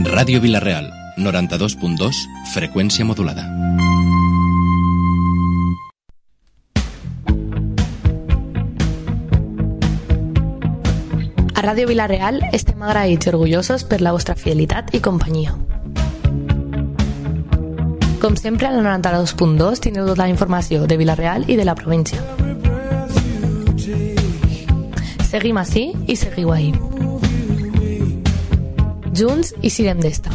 Ràdio Vila-real, 92.2, freqüència modulada. A Ràdio Vila-real estem agraïts i orgullosos per la vostra fidelitat i companyia. Com sempre, a la 92.2 tindreu tota la informació de Vila-real i de la província. Seguim ací i seguiu ahí. Junts i siguem d'esta.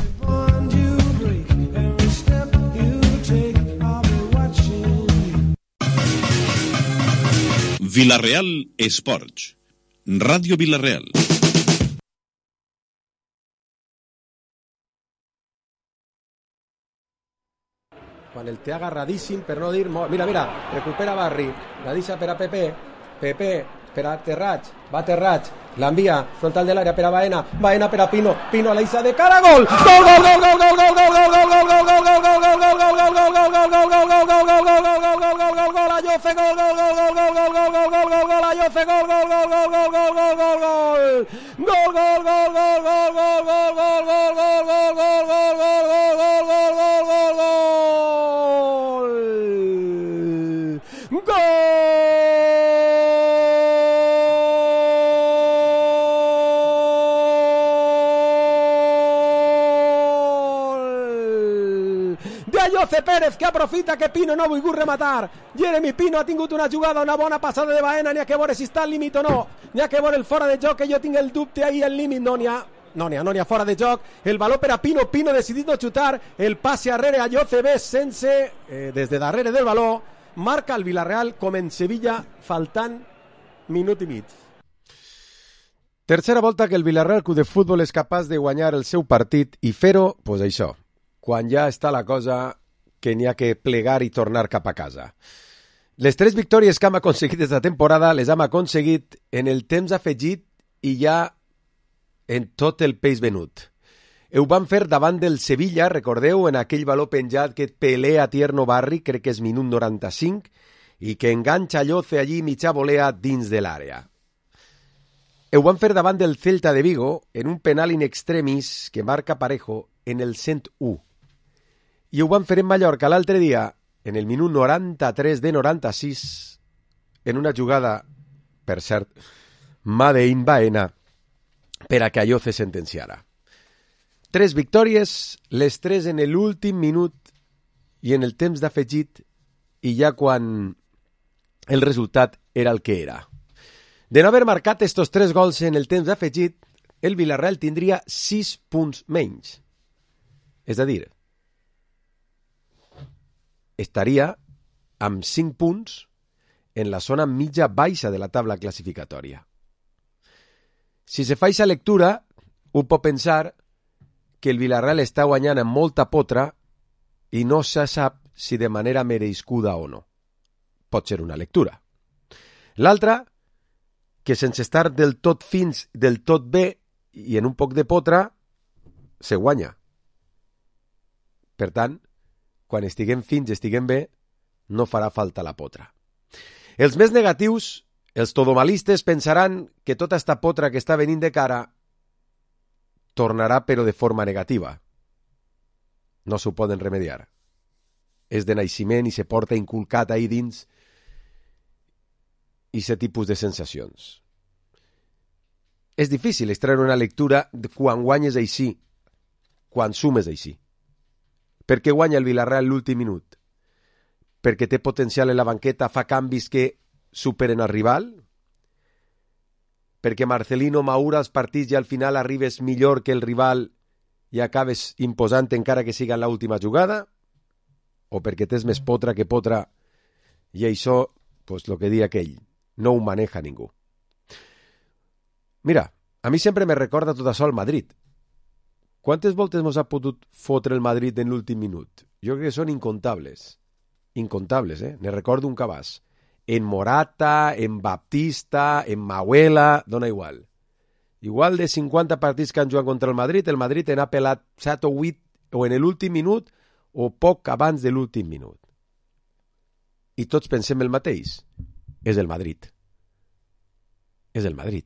Vila-real Esports. Ràdio Vila-real. Quan el té agarradíssim, per no dir molt. Mira, recupera Barri, la deixa per a Pepe per a Terrats, va Terrats, l'envia frontal de l'àrea per a Baena per a Pino a l'eixa de cara, gol! Gol! Ayoce, José Pérez, que aprofita que Pino no ha volgut rematar. Jeremy Pino ha tingut una jugada, una bona passada de Baena, n'hi ha que veure si està al límit o no, n'hi ha que veure el fora de joc, que jo tinc el dubte ahí al límit, no n'hi ha fora de joc, el valor per a Pino decidit no xutar, el passe arrere a José B sense, des de darrere del valor, marca el Vila-real com en Sevilla, faltant minut i mig. Tercera volta que el Vila-real Club de Futbol és capaç de guanyar el seu partit i fer-ho, doncs això, quan ja està la cosa que n'hi ha que plegar i tornar cap a casa. Les 3 victòries que hem aconseguit aquesta temporada les hem aconseguit en el temps afegit i ja en tot el peix venut. Ho van fer davant del Sevilla, recordeu, en aquell valor penjat que pelea Tierno Barri, crec que és minut 95, i que enganxa Lloce allí mitja volea dins de l'àrea. Ho van fer davant del Celta de Vigo en un penal in extremis que marca Parejo en el 101. I ho van fer en Mallorca l'altre dia, en el minut 93 de 96, en una jugada, per cert, Made in Baena, per a que allò se sentenciara. 3 victòries, les 3 en l'últim minut i en el temps d'afegit, i ja quan el resultat era el que era. De no haver marcat estos 3 gols en el temps d'afegit, el Vila-real tindria 6 punts menys. És a dir, estaria amb 5 punts en la zona mitja-baixa de la tabla classificatòria. Si se fa aquesta lectura, un pot pensar que el Vila-real està guanyant amb molta potra i no se sap si de manera merescuda o no. Pot ser una lectura. L'altra, que sense estar del tot fins, del tot bé i en un poc de potra, se guanya. Per tant, quan estiguem fins, estiguem bé, no farà falta la potra. Els més negatius, els todomalistes, pensaran que tota esta potra que està venint de cara tornarà però de forma negativa. No s'ho poden remediar. És de naixement i se porta inculcat ahí dins aquest tipus de sensacions. És difícil extraure una lectura quan guanyes així, quan sumes així. Per què guanya el Vila-real l'últim minut? Perquè té potencial en la banqueta, fa canvis que superen el rival? Perquè Marcelino maura els partits i al final arribes millor que el rival i acabes imposant encara que siga en l'última jugada? O perquè tens més potra que potra i això, pues lo que di aquell, no ho maneja ningú. Mira, a mi sempre me recorda tot això al Madrid. Quantes voltes mos ha pogut fotre el Madrid en l'últim minut? Jo crec que són incontables. Incontables, Ne recordo un cabàs. En Morata, en Baptista, en Mauela, dona igual. Igual de 50 partits que han jugat contra el Madrid en ha pelat 7 o 8 o en l'últim minut o poc abans de l'últim minut. I tots pensem el mateix. És el Madrid. És el Madrid.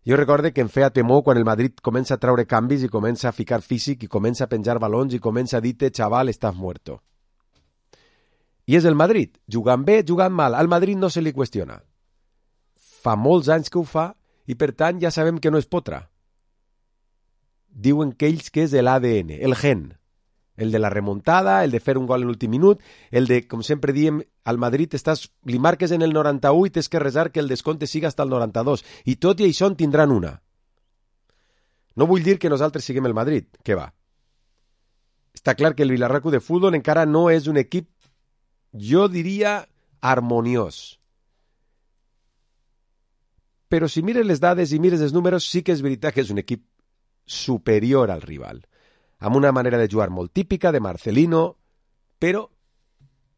Jo recorde que em feia temor quan el Madrid comença a treure canvis i comença a ficar físic i comença a penjar balons i comença a dir-te, xaval, estàs muerto. I és el Madrid, jugant bé, jugant mal. Al Madrid no se li qüestiona. Fa molts anys que ho fa i per tant ja sabem que no és potra. Diuen que ells que és l'ADN, el gen. El de la remuntada, el de fer un gol en l'últim minut, el de, com sempre diem, al Madrid li marques en el 91 i tens que resar que el descompte siga hasta el 92. I tot i això en tindran una. No vull dir que nosaltres siguem el Madrid, que va. Està clar que el Villarreal Club de Futbol encara no és un equip, jo diria, harmoniós. Però si mires les dades i mires els números, sí que és veritat que és un equip superior al rival, amb una manera de jugar molt típica de Marcelino, però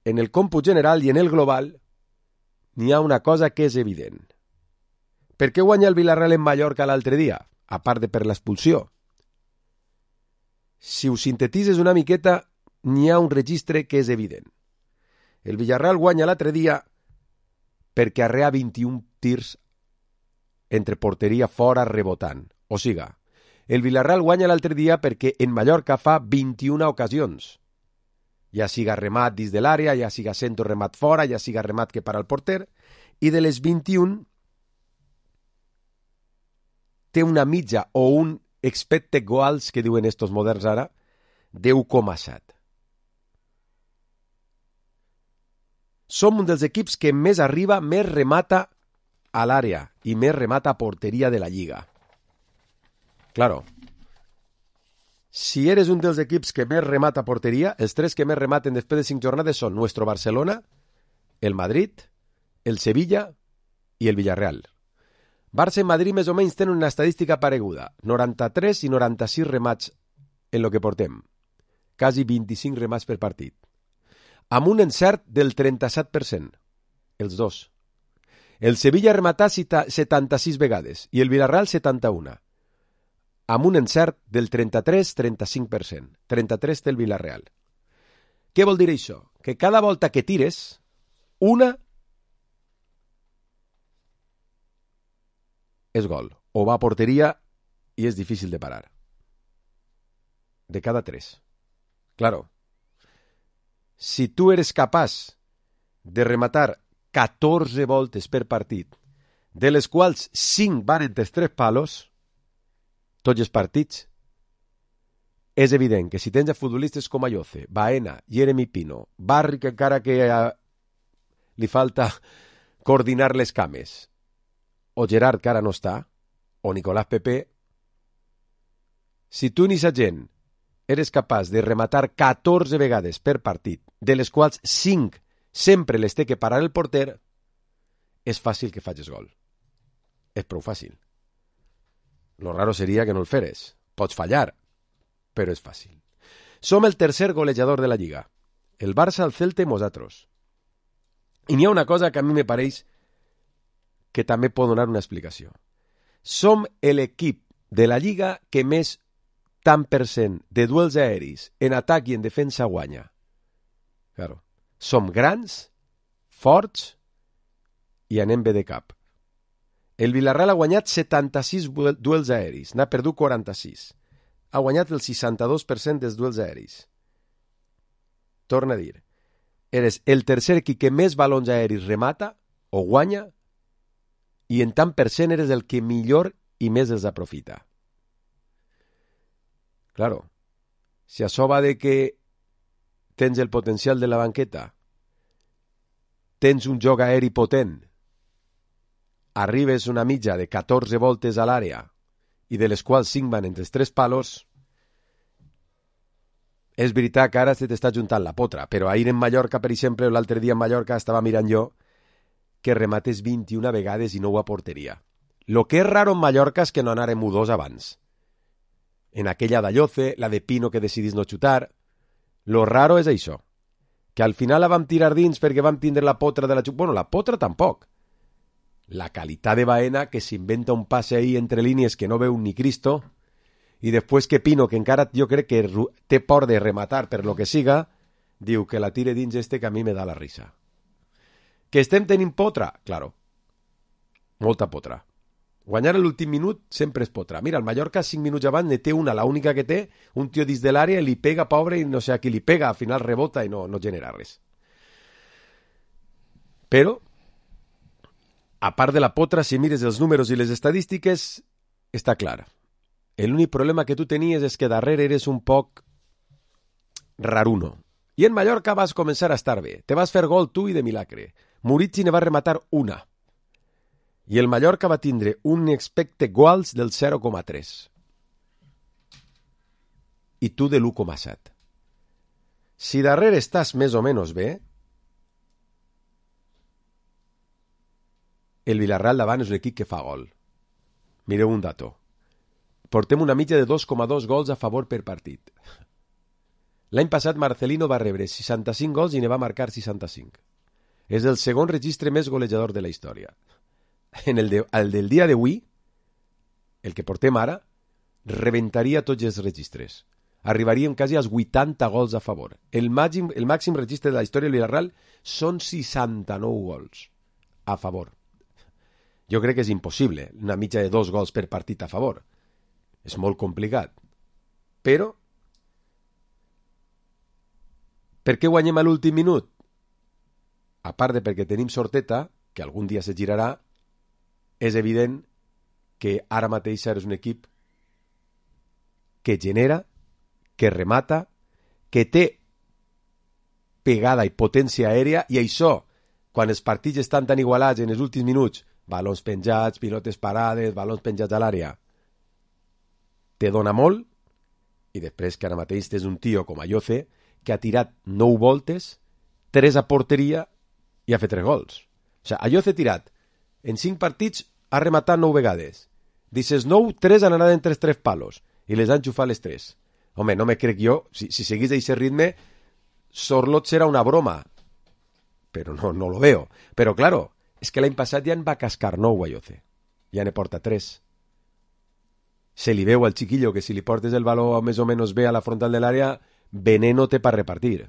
en el còmput general i en el global n'hi ha una cosa que és evident. Per què guanya el Villarreal en Mallorca l'altre dia? A part de per l'expulsió. Si ho sintetitzes una miqueta, n'hi ha un registre que és evident. El Villarreal guanya l'altre dia perquè arrea 21 tirs entre porteria fora rebotant. O siga, el Villarreal guanya l'altre dia perquè en Mallorca fa 21 ocasions. Ja siga remat dins de l'àrea, ja siga centre remat fora, ja siga remat que para el porter, i de les 21 té una mitja o un expected goals, que diuen estos moderns ara, de 1,7. Som un dels equips que més arriba, més remata a l'àrea i més remata a porteria de la Lliga. Claro, si eres un dels equips que més remata a porteria, els tres que més rematen després de 5 jornades són nuestro Barcelona, el Madrid, el Sevilla i el Villarreal. Barça i Madrid més o menys tenen una estadística pareguda, 93 i 96 remats en lo que portem, quasi 25 remats per partit, amb un encert del 37%, els dos. El Sevilla ha rematat 76 vegades i el Villarreal 71, amb un encert del 33-35%. 33 té el Villarreal. Què vol dir això? Que cada volta que tires, una és gol. O va a porteria i és difícil de parar. De cada 3. Claro. Si tu eres capaç de rematar 14 voltes per partit, de les quals 5 van entre 3 palos, tots els partits, és evident que si tens a futbolistes com Ayoce, Baena, Jeremy Pino, Barri, que encara que li falta coordinar les cames, o Gerard, que ara no està, o Nicolás Pepe, si tu ni sa gent eres capaç de rematar 14 vegades per partit, de les quals 5 sempre les té que parar el porter, és fàcil que facis gol. És prou fàcil. Lo raro seria que no el feres. Pots fallar, però és fàcil. Som el tercer golejador de la Lliga. El Barça, el Celta i nosaltres. I n'hi ha una cosa que a mi me pareix que també pot donar una explicació. Som l'equip de la Lliga que més tant % de duels aeris en atac i en defensa guanya. Claro. Som grans, forts i anem bé de cap. El Villarreal ha guanyat 76 duels aeris, n'ha perdut 46. Ha guanyat el 62% dels duels aeris. Torna a dir, eres el tercer equip que més balons aeris remata o guanya i en tant % eres el que millor i més els aprofita. Claro, si això va de que tens el potencial de la banqueta, tens un joc aeri potent, arribes una mitja de 14 voltes a l'àrea i de les quals 5 van entre els 3 palos, és veritat que ara se t'està juntant la potra, però ahir en Mallorca, per exemple, l'altre dia en Mallorca estava mirant jo que remates 21 vegades i no a porteria. Lo que és raro en Mallorca és que no anàrem U2 abans. En aquella d'Ayoce, la de Pino que decidís no xutar, lo raro és això, que al final la vam tirar dins perquè vam tindre la potra de la xuta. Bueno, la potra tampoc. La qualitat de Baena, que s'inventa un passe ahí entre línies que no veu ni Cristo, i després que Pino, que encara jo crec que té por de rematar per lo que siga, diu que la tire dins que a mi me da la risa. Que estem tenint potra? Claro. Molta potra. Guanyar a l'últim minut sempre es potrà. Mira, el Mallorca 5 minuts abans ne té una, la única que té, un tio dins de l'àrea, li pega, pobre, i no sé a qui li pega, al final rebota i no genera res. Però, a part de la potra, si mires els números i les estadístiques, està clar. L'únic problema que tu tenies és que darrere eres un poc raruno. I en Mallorca vas començar a estar bé. Te vas fer gol tu i de milagre. Murici ne va rematar una. I el Mallorca va tindre un expected goals del 0,3. I tu de l'1,7. Si darrere estàs més o menys bé, el Villarreal davant és un equip que fa gol. Mireu un dato. Portem una mitja de 2,2 gols a favor per partit. L'any passat Marcelino va rebre 65 gols i ne va marcar 65. És el segon registre més golejador de la història. El del dia d'avui, el que portem ara, rebentaria tots els registres. Arribaríem quasi als 80 gols a favor. El màxim registre de la història del Villarreal són 69 gols a favor. Jo crec que és impossible, una mitja de 2 gols per partit a favor. És molt complicat. Però, per què guanyem a l'últim minut? A part de perquè tenim sorteta, que algun dia se girarà, és evident que ara mateix és un equip que genera, que remata, que té pegada i potència aèria, i això, quan els partits estan tan igualats en els últims minuts, balons penjats, pilotes parades, balons penjats a l'àrea, te dona molt, i després que ara mateix tens un tio com Ayoce, que ha tirat 9 voltes, 3 a porteria i ha fet 3 gols. O sigui, Ayoce ha tirat en 5 partits ha rematat 9 vegades. Dices 9, 3 han anat entre els 3 palos i les han enxufat les 3. Home, no me crec jo, si seguís d'aquest ritme, Sorloth serà una broma. Però no lo veo. Però, claro, és que l'any passat ja en va cascar 9 Ayoce. Ja ne porta 3. Se li veu al chiquillo que si li portes el baló més o menys bé a la frontal de l'àrea, veneno té per repartir.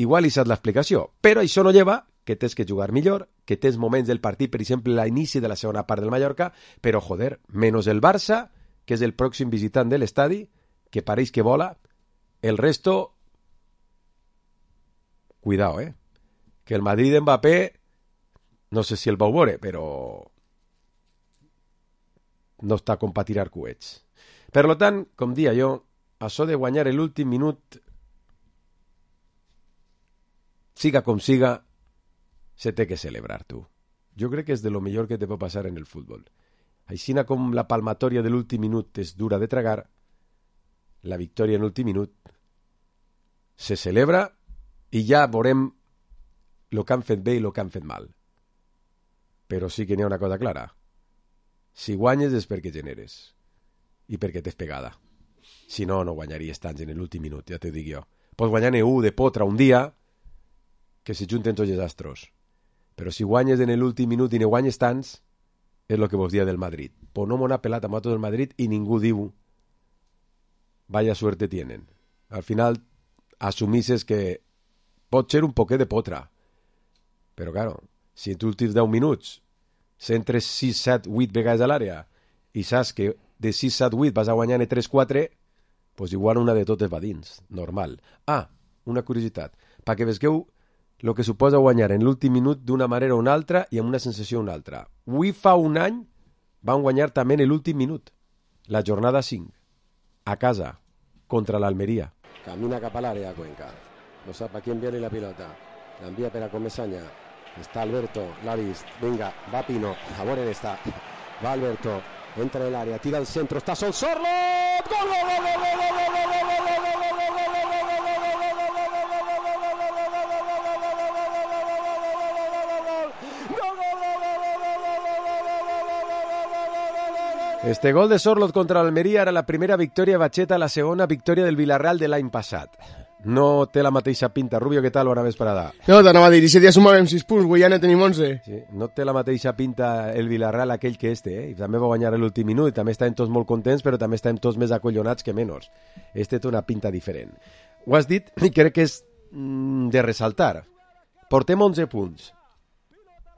Igual hi saps l'explicació, però això no lleva que tens que jugar millor, que tens moments del partit, per exemple, l'inici de la segona part del Mallorca, però, joder, menys el Barça, que és el pròxim visitant de l'estadi, que pareix que vola, el resto, cuidao, que el Madrid Mbappé, no sé si el vau veure, però no està com per tirar coets. Per tant, com dia jo, això de guanyar l'últim minut, siga com siga, se té que celebrar, tu. Jo crec que és de lo millor que te pot passar en el futbol. Aixina com la palmatòria de l'últim minut és dura de tragar, la victòria en l'últim minut se celebra i ja veurem el que han fet bé i el que han fet mal. Però sí que n'hi ha una cosa clara. Si guanyes és perquè generes i perquè t'és pegada. Si no, no guanyaries tants en l'últim minut, ja t'ho dic jo. Pots guanyar-ne un de potra un dia que se junten tots els astros. Però si guanyes en l'últim minut i ne guanyes tants, és el que vos dia del Madrid. Pues no m'ho ha pelat amb tot el Madrid i ningú diu vaya suerte tienen. Al final assumisses que pot ser un poquet de potra. Però, claro, si en tu últims 10 minuts centres 6, 7, 8 vegades a l'àrea i saps que de 6, 7, 8 vas a guanyar-ne 3, 4, pues igual una de totes va dins. Normal. Una curiositat. Perquè vesgueu el que suposa guanyar en l'últim minut d'una manera o una altra i amb una sensació o una altra. Avui fa un any van guanyar també en l'últim minut, la jornada 5, a casa, contra l'Almeria. Camina cap a l'àrea, Cuenca. No sap a qui enviar-li la pilota. L'envia per a Comesaña. Està Alberto, l'ha vist. Vinga, va Pino. A veure on està. Va Alberto, entra en l'àrea, tira al centre, està sol Sorloth! Gol, gol, gol, gol, gol, gol, gol, gol, gol, gol, gol, gol, gol, gol, Este gol de Sorloth contra l'Almeria era la primera victòria batxeta, la segona victòria del Villarreal de l'any passat. No té la mateixa pinta. Rubio, què tal? Bona vesprada. No, t'anava a dir, i si dia sumàvem 6 punts, avui ja ne tenim 11. Sí, no té la mateixa pinta el Villarreal aquell que I també va guanyar l'últim minut, i també estem tots molt contents, però també estem tots més acollonats que menys. Té una pinta diferent. Ho has dit, i crec que és de ressaltar. Portem 11 punts.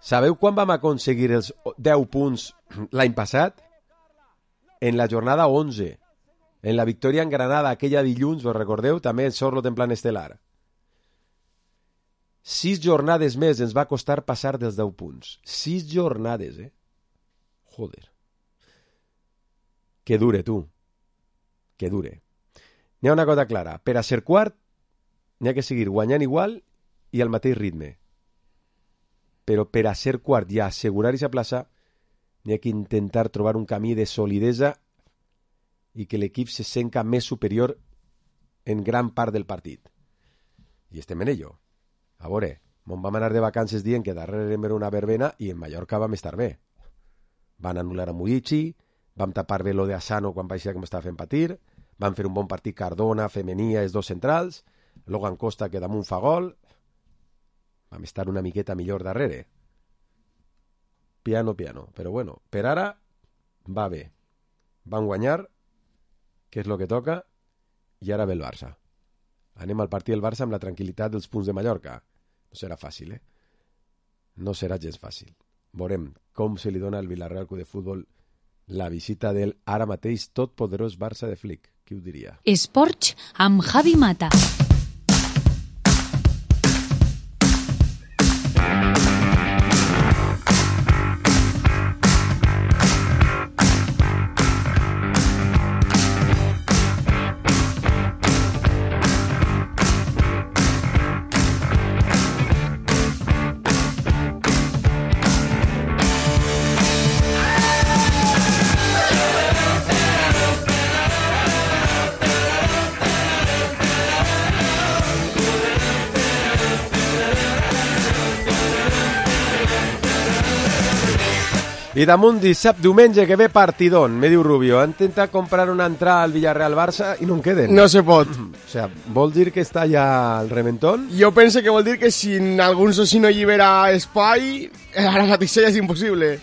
Sabeu quan vam aconseguir els 10 punts l'any passat? En la jornada 11. En la victòria en Granada, aquella dilluns, vos recordeu? També en Sorlo en plan estel·lar. 6 jornades més ens va costar passar dels 10 punts. 6 jornades, Joder. Que dure, tu. Que dure. N'hi ha una cosa clara. Per a ser quart, n'hi ha que seguir guanyant igual i al mateix ritme. Però per a ser quart i assegurar aquesta plaça, n'hi ha que intentar trobar un camí de solidesa i que l'equip se senta més superior en gran part del partit. I estem en ello. A veure, vam anar de vacances dient que darrere era una verbena i en Mallorca vam estar bé. Van anul·lar a Murici, vam tapar bé lo de Asano quan paeixia que m'estava fent patir, van fer un bon partit Cardona, Femenia, els dos centrals, Logan Costa que damunt fa gol, vam estar una miqueta millor darrere. Piano, però bueno, per ara va bé. Van guanyar, que és el que toca, i ara ve el Barça. Anem al partit del Barça amb la tranquil·litat dels punts de Mallorca. No serà fàcil, No serà gens fàcil. Veurem com se li dona al Villarreal Club de Futbol la visita del ara mateix totpoderós Barça de Flick. Qui ho diria? Esports amb Javi Mata. I damunt diumenge que ve partidón, me diu Rubio, han intentat comprar una entrada al Villarreal-Barça i no en queden. No se pot. O sea, vol dir que està ja al reventón? Jo penso que vol dir que si algun soci no allibera espai, ara mateix ja és impossible.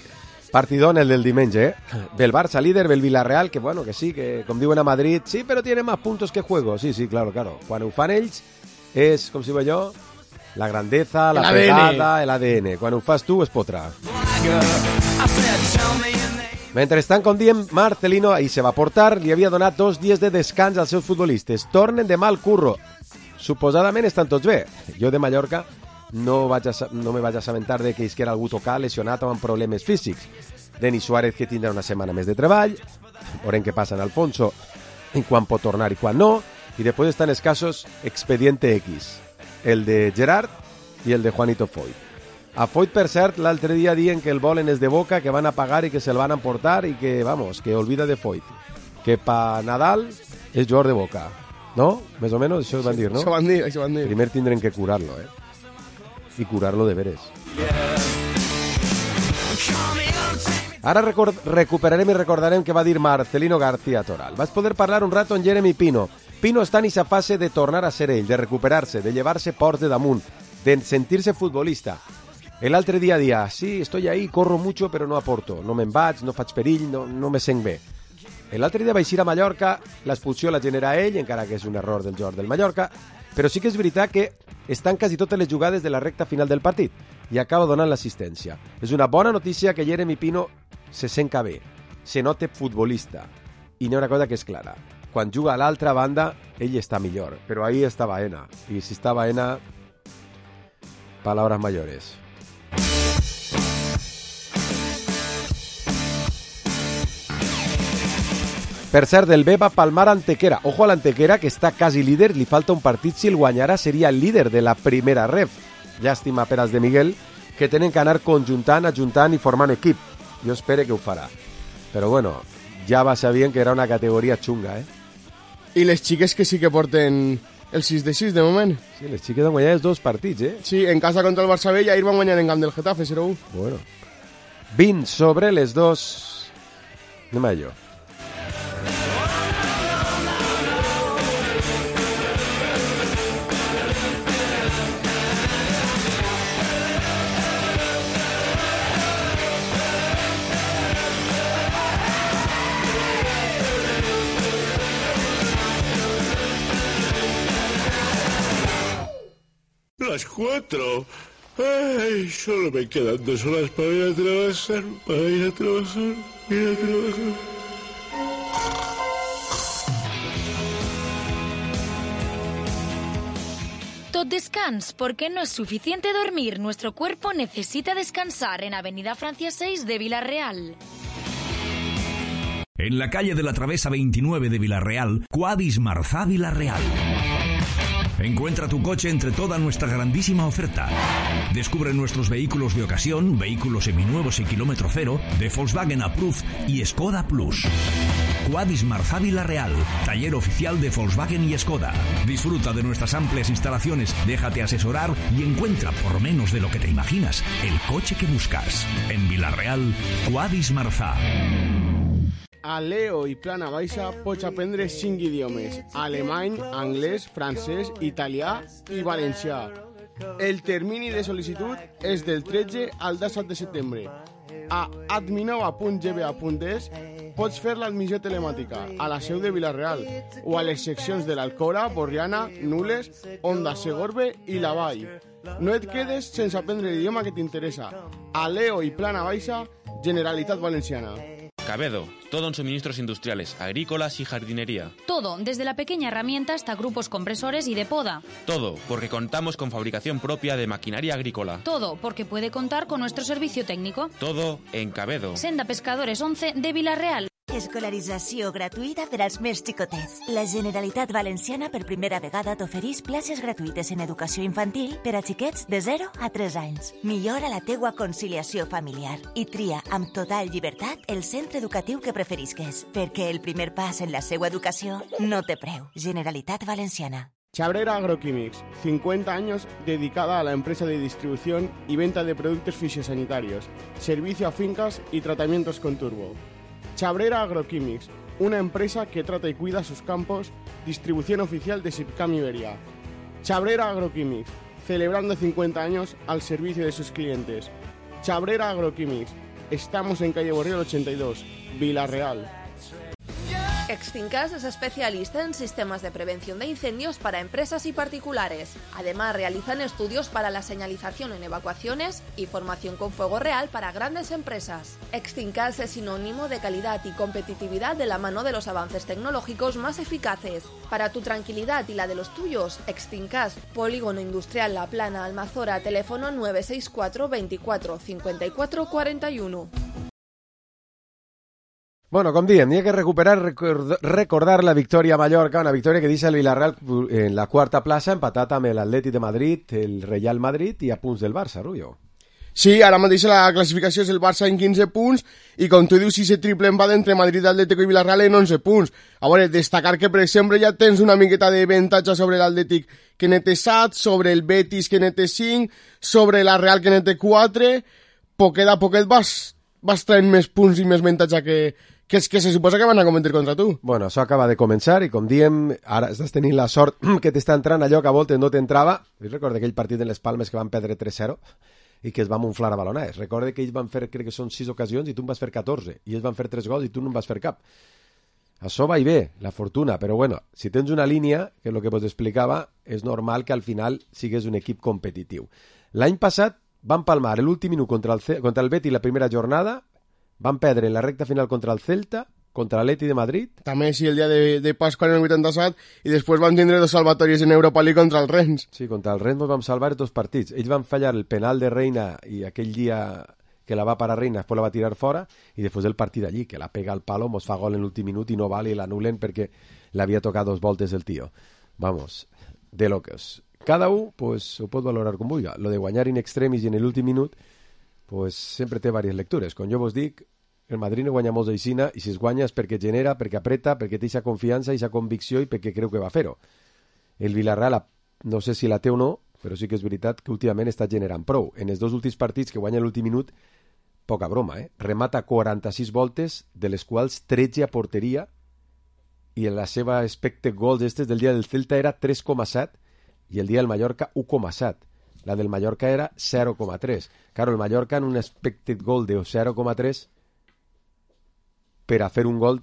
Partidón el del diumenge, Ve el Barça líder, ve el Villarreal, que bueno, que sí, que com diuen a Madrid, sí, però tiene más puntos que juego. Sí, claro. Quan ho fan ells, és, com si va jo, la grandeza, la pegada, l'ADN. Quan ho fas tu, es potrà. Mentrestant, com diem, Marcelino ahir se va portar, li havia donat 2 dies de descans als seus futbolistes. Tornen de mal curro. Suposadament estan tots bé. Jo de Mallorca no me vaig assabentar de que isquera algú tocat, lesionat o amb problemes físics. Denis Suárez, que tindrà una setmana més de treball. Veurem què passa en Alfonso, en quan pot tornar i quan no. I després estan els casos Expediente X. El de Gerard i el de Juanito Foyt. A Foyt, per cert, l'altre dia dient que el volen és de Boca, que van a pagar i que se'l van a emportar i que, vamos, que olvida de Foyt. Que pa Nadal és jugador de Boca. ¿No? Més o menys això van dir, no? Això van dir. Primer tindrem que curar-lo, I curar-lo de veres. Ara recuperarem i recordarem que va dir Marcelino García Toral. Vas poder parlar un rato amb Jeremy Pino. Pino està en aquesta fase de tornar a ser ell, de recuperar-se, de llevar-se ports de damunt, de sentir-se futbolista. L'altre dia dia, sí, estoy ahí, corro mucho, però no aporto. No me'n vaig, no faig perill, no me sent bé. L'altre dia vaig ir a Mallorca, l'expulsió la genera ell, encara que és un error del jugador del Mallorca, però sí que és veritat que estan quasi totes les jugades de la recta final del partit i acaba donant l'assistència. És una bona notícia que Jeremy Pino se senta bé, se nota futbolista. I n'hi ha una cosa que és clara. Quan juga a l'altra banda, ell està millor, però ahí està Baena. I si està Baena, palabras mayores. Per cert, el B va palmar Antequera. Ojo a l'Antequera, que està quasi líder, li falta un partit, si el guanyarà seria el líder de la primera ref. Llàstima per als de Miguel, que tenen que anar conjuntant, ajuntant i formant equip. Jo espero que ho farà. Però bueno, ja va sabent que era una categoria xunga, I les xiques que sí que porten el 6 de 6 de moment. Sí, les xiques han guanyat els 2 partits, Sí, en casa contra el Barça B i ahir van guanyar en camp del Getafe, 0-1. Bueno. 20 sobre les 2. Anem a allò. Las 4. Ay, solo me quedan 2 horas para ir a trabajar, Tot descans, porque no es suficiente dormir. Nuestro cuerpo necesita descansar en Avenida Francia 6 de Villarreal. En la calle de la Travesa 29 de Villarreal, Quadis Marzà Villarreal. Encuentra tu coche entre toda nuestra grandísima oferta. Descubre nuestros vehículos de ocasión, vehículos seminuevos y kilómetro cero, de Volkswagen Approved y Skoda Plus. Quadis Marzà Villarreal, taller oficial de Volkswagen y Skoda. Disfruta de nuestras amplias instalaciones, déjate asesorar y encuentra, por menos de lo que te imaginas, el coche que buscas. En Villarreal, Quadis Marzà. A Leo i Plana Baixa pots aprendre 5 idiomes: alemany, anglès, francès, italià i valencià. El termini de sol·licitud és del 13 al 17 de setembre. A adminova.gba.es pots fer l'admissió telemàtica a la seu de Villarreal o a les seccions de l'Alcora, Borriana, Nules, Onda, Segorbe i la Vall. No et quedes sense aprendre l'idioma que t'interessa. A Leo i Plana Baixa, Generalitat Valenciana. Cabedo, todo en suministros industriales, agrícolas y jardinería. Todo, desde la pequeña herramienta hasta grupos compresores y de poda. Todo, porque contamos con fabricación propia de maquinaria agrícola. Todo, porque puede contar con nuestro servicio técnico. Todo en Cabedo. Senda Pescadores 11 de Villarreal. Escolarització gratuïta per als més xicotets. La Generalitat Valenciana per primera vegada t'oferís places gratuïtes en educació infantil per a xiquets de 0 a 3 anys. Millora la teua conciliació familiar i tria amb total llibertat el centre educatiu que preferisques, perquè el primer pas en la seva educació no té preu. Generalitat Valenciana. Chabrera Agroquímics, 50 años dedicada a la empresa de distribución y venta de productos fisiosanitarios, servicio a fincas y tratamientos con turbo. Chabrera Agroquímics, una empresa que trata y cuida sus campos, distribución oficial de Sipcam Iberia. Chabrera Agroquímics, celebrando 50 años al servicio de sus clientes. Chabrera Agroquímics, estamos en calle Borriol 82, Villarreal. Extincas es especialista en sistemas de prevención de incendios para empresas y particulares. Además, realizan estudios para la señalización en evacuaciones y formación con fuego real para grandes empresas. Extincas es sinónimo de calidad y competitividad de la mano de los avances tecnológicos más eficaces. Para tu tranquilidad y la de los tuyos, Extincas, Polígono Industrial La Plana, Almazora, teléfono 964 24 54 41. Bueno, com diem, n'hi ha que recordar la victòria a Mallorca, una victòria que deixa el Villarreal en la quarta plaça, empatat amb l'Atlètic de Madrid, el Real Madrid i a punts del Barça, Rubio. Sí, ara mateix la classificació és el Barça en 15 punts i com tu dius, si se triple empat entre Madrid, Atlético i Villarreal en 11 punts. A veure, destacar que, per exemple, ja tens una miqueta de avantatge sobre l'Atlètic que n'é 7, sobre el Betis que n'é 5, sobre la Real que n'é 4, poquet a poquet vas traient més punts i més avantatge que se suposa que van a cometre contra tu. Bueno, això acaba de començar i com diem, ara estàs tenint la sort que t'està entrant allò que a voltes no t'entrava. Jo recordo aquell partit en les Palmes que van perdre 3-0 i que es van unflar a baloners. Recordo que ells van fer, crec que són 6 ocasions i tu en vas fer 14, i ells van fer 3 gols i tu no en vas fer cap. Això va i bé, la fortuna, però bueno, si tens una línia, que és el que vos explicava, és normal que al final sigues un equip competitiu. L'any passat van palmar l'últim minut contra el Betis la primera jornada, van perdre en la recta final contra el Celta, contra l'Atleti de Madrid. També, sí, el dia de Pasqua en el 87, i després van tindre 2 salvatòries en Europa League contra el Rennes. Sí, contra el Rennes vam salvar 2 partits. Ells van fallar el penal de Reina i aquell dia que la va parar Reina, després la va tirar fora, i després el partit allí, que la pega al palo, mos fa gol en l'últim minut i no val i l'anulen perquè l'havia tocat 2 voltes el tio. Vamos, de locos. Cada un pues, ho pot valorar com vulgui. Lo de guanyar in extremis i en l'últim minut pues sempre té diverses lectures. Com jo vos dic, el Madrid no guanya molts d'aixina i si es guanya és perquè genera, perquè apreta, perquè té aquesta confiança i aquesta convicció i perquè creu que va fer-ho. El Villarreal, no sé si la té o no, però sí que és veritat que últimament està generant prou. En els 2 últims partits que guanya l'últim minut, poca broma, remata 46 voltes, de les quals 13 a porteria, i en la seva expected goals del dia del Celta era 3,7 i el dia del Mallorca 1,7. La del Mallorca era 0,3. Claro, el Mallorca en un expected goal de 0,3 per a fer un gol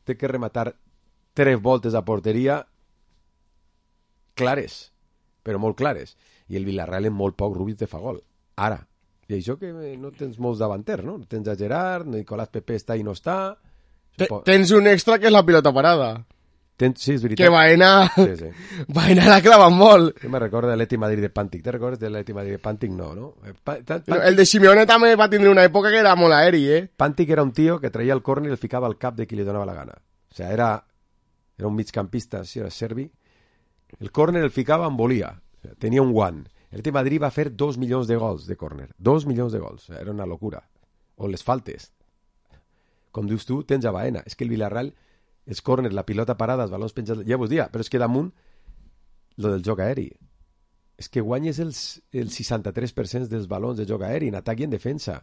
té que rematar 3 voltes a porteria clares, però molt clares. i el Villarreal en molt poc Rubio te fa gol. Ara, i això que no tens molts davanters, no? Tens a Gerard, Nicolás Pepe està i no està... Tens un extra que és la pilota parada. Sí, és veritat. Que Baena... Sí. Baena la clava molt. Jo me recordo de l'Atleti Madrid de Pàntic. Te recordes de l'Atleti Madrid de Pàntic? No? El de Simeone també va tindre una època que era molt aeri, Pàntic era un tio que traia el córner i el ficava al cap de qui li donava la gana. O sea, era un migcampista, sí, era serbi. El córner el ficava on volia. O sea, tenia un guant. El Atleti Madrid va fer 2 milions de gols de córner. 2 milions de gols. O sea, era una locura. O les faltes. Com dius tu, tens a Baena. És que el Villarreal... els córners, la pilota parada, els balons penjats, ja vos dia, però és que damunt lo del joc aeri. És que guanyes el 63% dels balons de joc aeri en atac i en defensa.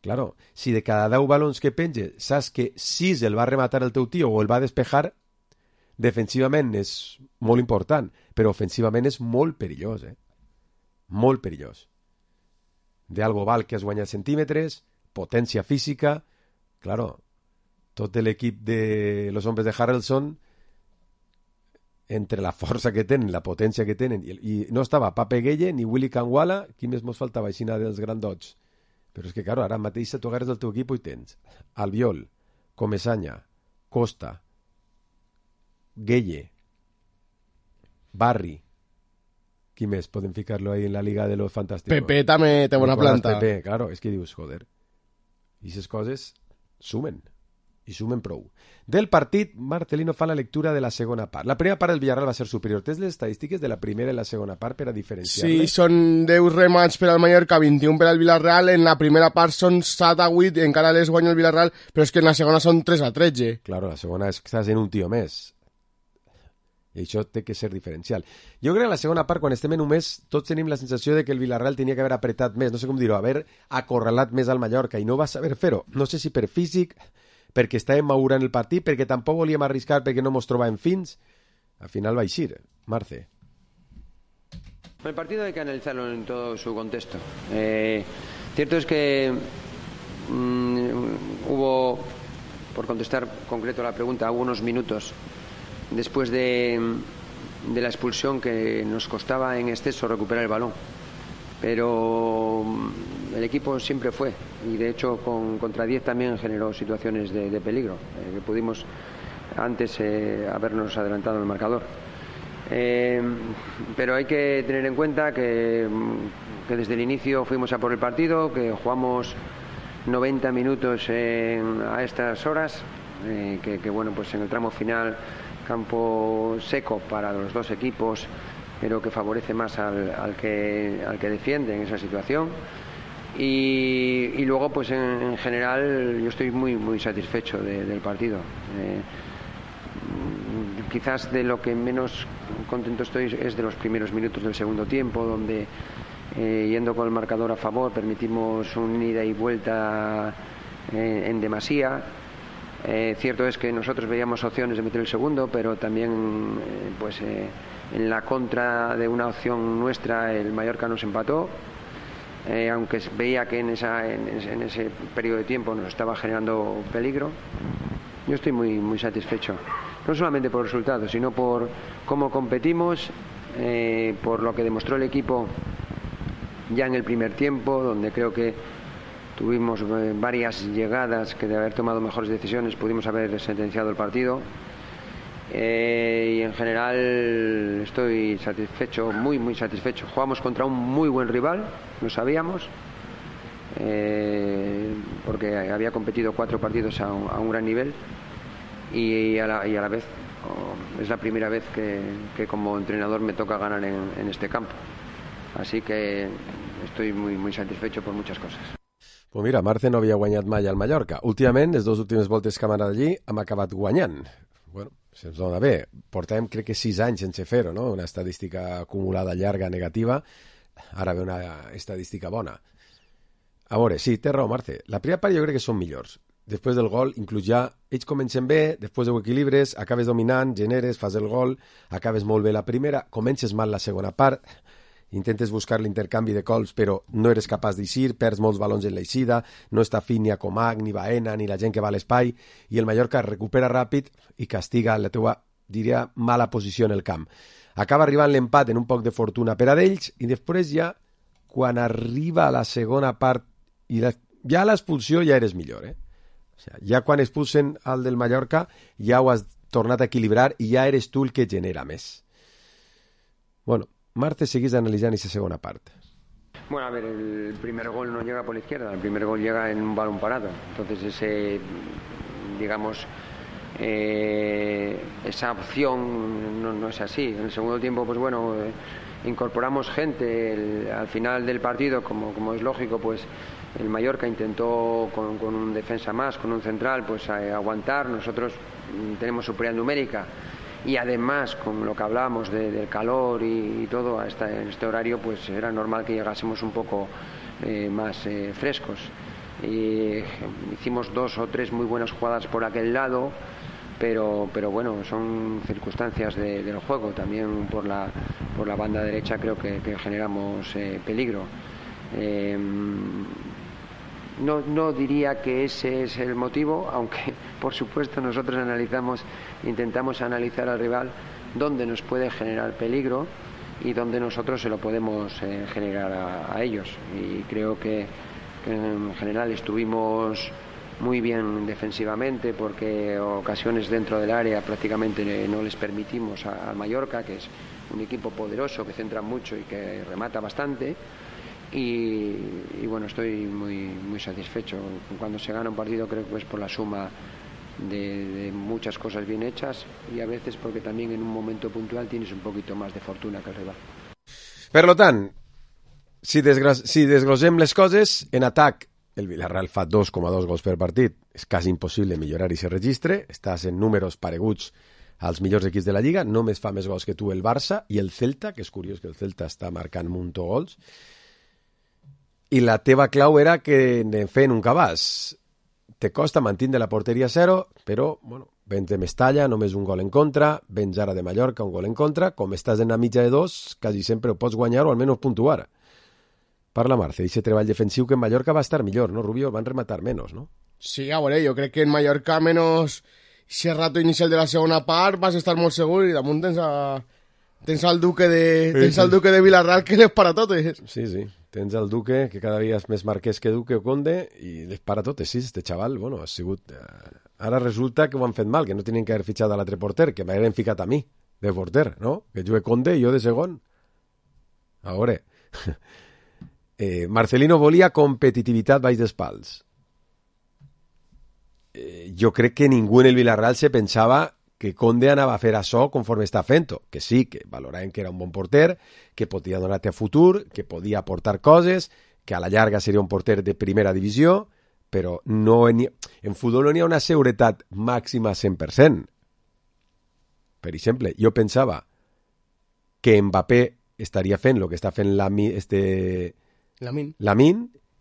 Claro, si de cada 10 balons que penges saps que 6 el va rematar el teu tio o el va despejar, defensivament és molt important, però ofensivament és molt perillós, Molt perillós. De algo val que has guanyat centímetres, potència física, claro, tot l'equip de los hombres de Harrelson, entre la força que tenen, la potència que tenen, i no estava Pape Gueye ni Willy Kangwala, qui més mos faltava així dels grandots. Però és que, claro, ara mateix tu agarres del teu equip i tens Albiol, Comesaña, Costa, Gueye, Barri, qui més podem ficar-lo ahí en la Liga de los Fantásticos? Pepe també té bona planta. Pepe, claro, és que dius, joder, i aquestes coses sumen. I sumen prou. Del partit, Marcelino fa la lectura de la segona part. La primera part del Villarreal va ser superior. Tens les estadístiques de la primera i la segona part per a diferenciar-les? Sí, són 10 remats per al Mallorca, 21 per al Villarreal. En la primera part són 7-8, encara les guanya el Villarreal, però és que en la segona són 3-13. Claro, la segona és que estàs en un tio més. I això té que ser diferencial. Jo crec que en la segona part, quan estem en un mes, tots tenim la sensació de que el Villarreal tenia que haver apretat més, no sé com dir-ho, haver acorralat més al Mallorca, i no va saber fer-ho. No sé si per físic, perquè estàvem madurant el partit, perquè tampoc volíem arriscar, perquè no mos trobàvem fins. Al final va eixir, Marce. El partido hay que analizarlo en todo su contexto. Cierto es que hubo, por contestar concreto a la pregunta, hubo unos minutos después de la expulsión que nos costaba en exceso recuperar el balón. Pero el equipo siempre fue, y de hecho contra 10 también generó situaciones de peligro, que pudimos antes habernos adelantado en el marcador. Pero hay que tener en cuenta que desde el inicio fuimos a por el partido, que jugamos 90 minutos a estas horas, que bueno, pues en el tramo final campo seco para los dos equipos, pero que favorece más al que defiende en esa situación. Y luego, pues en general, yo estoy muy satisfecho del partido. Quizás de lo que menos contento estoy es de los primeros minutos del segundo tiempo, donde yendo con el marcador a favor permitimos un ida y vuelta en demasía. Cierto es que nosotros veíamos opciones de meter el segundo, pero también en la contra de una opción nuestra el Mallorca nos empató, aunque veía que en ese periodo de tiempo nos estaba generando peligro. Yo estoy muy satisfecho, no solamente por el resultado, sino por cómo competimos, por lo que demostró el equipo ya en el primer tiempo, donde creo que tuvimos varias llegadas que de haber tomado mejores decisiones pudimos haber sentenciado el partido. Y en general estoy satisfecho, muy satisfecho. Jugamos contra un muy buen rival, lo sabíamos, porque había competido 4 partidos a un gran nivel, y a la vez es la primera vez que como entrenador me toca ganar en este campo. Así que estoy muy satisfecho por muchas cosas. Pues mira, Marce no havia guanyat mai al Mallorca. Últimament, les 2 últimes voltes que hem anat allí, hem acabat guanyant. Bueno, se'ns dona bé. Portàvem, crec que 6 anys sense fer-ho, no? Una estadística acumulada llarga negativa. Ara ve una estadística bona. A veure, sí, té raó, Marce. La primera part jo crec que són millors. Després del gol, inclús ja, ells comencen bé, després ho equilibres, acabes dominant, generes, fas el gol, acabes molt bé la primera, comences mal la segona part, intentes buscar l'intercanvi de cols, però no eres capaç d'eixir, perds molts balons en l'eixida, no està fi ni a Comac, ni Baena, ni la gent que va a l'espai, i el Mallorca recupera ràpid i castiga la teua diria, mala posició en el camp. Acaba arribant l'empat en un poc de fortuna per a d'ells i després ja, quan arriba a la segona part, i ja a l'expulsió ja eres millor, O sigui, ja quan expulsen al del Mallorca ja ho has tornat a equilibrar i ja eres tu el que genera més. Bueno, Marce, seguís analitzant aquesta segona part. Bueno, a ver, el primer gol no llega por la izquierda, el primer gol llega en un balón parado. Entonces ese, digamos, esa opción no es así. En el segundo tiempo, pues bueno, incorporamos gente. Al final del partido, como es lógico, pues el Mallorca intentó con un defensa más, con un central, pues aguantar. Nosotros tenemos superioridad numérica. Y además, con lo que hablábamos del calor y todo, en este horario, pues era normal que llegásemos un poco más frescos. Y hicimos 2 o 3 muy buenas jugadas por aquel lado, pero bueno, son circunstancias del juego. También por la banda derecha creo que generamos peligro. No diría que ese es el motivo, aunque por supuesto nosotros intentamos analizar al rival dónde nos puede generar peligro y dónde nosotros se lo podemos generar a ellos. Y creo que en general estuvimos muy bien defensivamente, porque ocasiones dentro del área prácticamente no les permitimos al Mallorca, que es un equipo poderoso, que centra mucho y que remata bastante. Y bueno, estoy muy satisfecho. Cuando se gana un partido creo que es por la suma de muchas cosas bien hechas y a veces porque también en un momento puntual tienes un poquito más de fortuna que el rival. Per tant, si desglosem les coses, en atac el Villarreal fa 2,2 gols per partit. És quasi impossible millorar i se registre. Estàs en números pareguts als millors equips de la Lliga. Només fa més gols que tu el Barça i el Celta, que és curiós que el Celta està marcant muntó gols. I la teva clau era que anem fent un cabàs. Te costa mantindre la porteria a 0, però, bueno, vens de Mestalla, només un gol en contra, vens ara de Mallorca, un gol en contra, com estàs en la mitja de 2, quasi sempre ho pots guanyar o almenys puntuar. Parla, Marce, d'aquest treball defensiu que en Mallorca va estar millor, no, Rubio? Van rematar menos, no? Sí, a veure, jo crec que en Mallorca, menos ese rato inicial de la segona part, vas estar molt segur i damunt tens el Duque de Villarreal que les para totes. Sí. Tens el Duque, que cada dia és més marquès que Duque o Conde, i les para totes, sí, este xaval, bueno, ha sigut... Ara resulta que ho han fet mal, que no tenen que haver fitxat a l'altre porter, que m'hagueren ficat a mi, de porter, no? Que jugue Conde i jo de segon. A veure... Marcelino volia competitivitat baix dels pals. Jo crec que ningú en el Villarreal se pensava que Conde anava a fer això conforme està fent-ho, que sí, que valoraven que era un bon porter, que podia donar-te a futur, que podia aportar coses, que a la llarga seria un porter de primera divisió, però no en futbol no n'hi ha una seguretat màxima 100%. Per exemple, jo pensava que Mbappé estaria fent el que està fent Lamine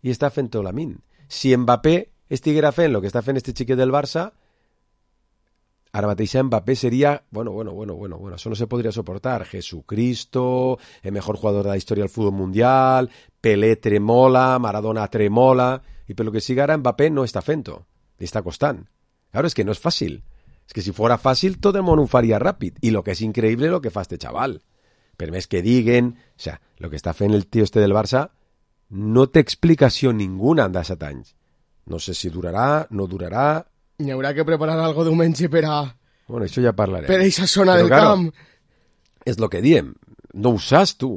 i està fent-ho Lamine. Si Mbappé estiguera fent el que està fent este xiquet del Barça, ara mateix Mbappé seria, bueno, això no se podria soportar. Jesucristo, el mejor jugador de la història del futbol mundial, Pelé tremola, Maradona tremola, i per lo que siga ara Mbappé no està fent-ho, li està costant. Claro, és que no és fàcil. És que si fora fàcil tot el món ho faria ràpid, i lo que és increïble lo que fa este chaval. Per més que diguen, o sea, lo que està fent el tio este del Barça no té explicació ninguna en 17 anys. No sé si durarà, no durarà... N'hi haurà que preparar algo diumenge per a... Bueno, això ja parlarem. Per a aquesta zona del camp. És el que diem. No ho saps tu.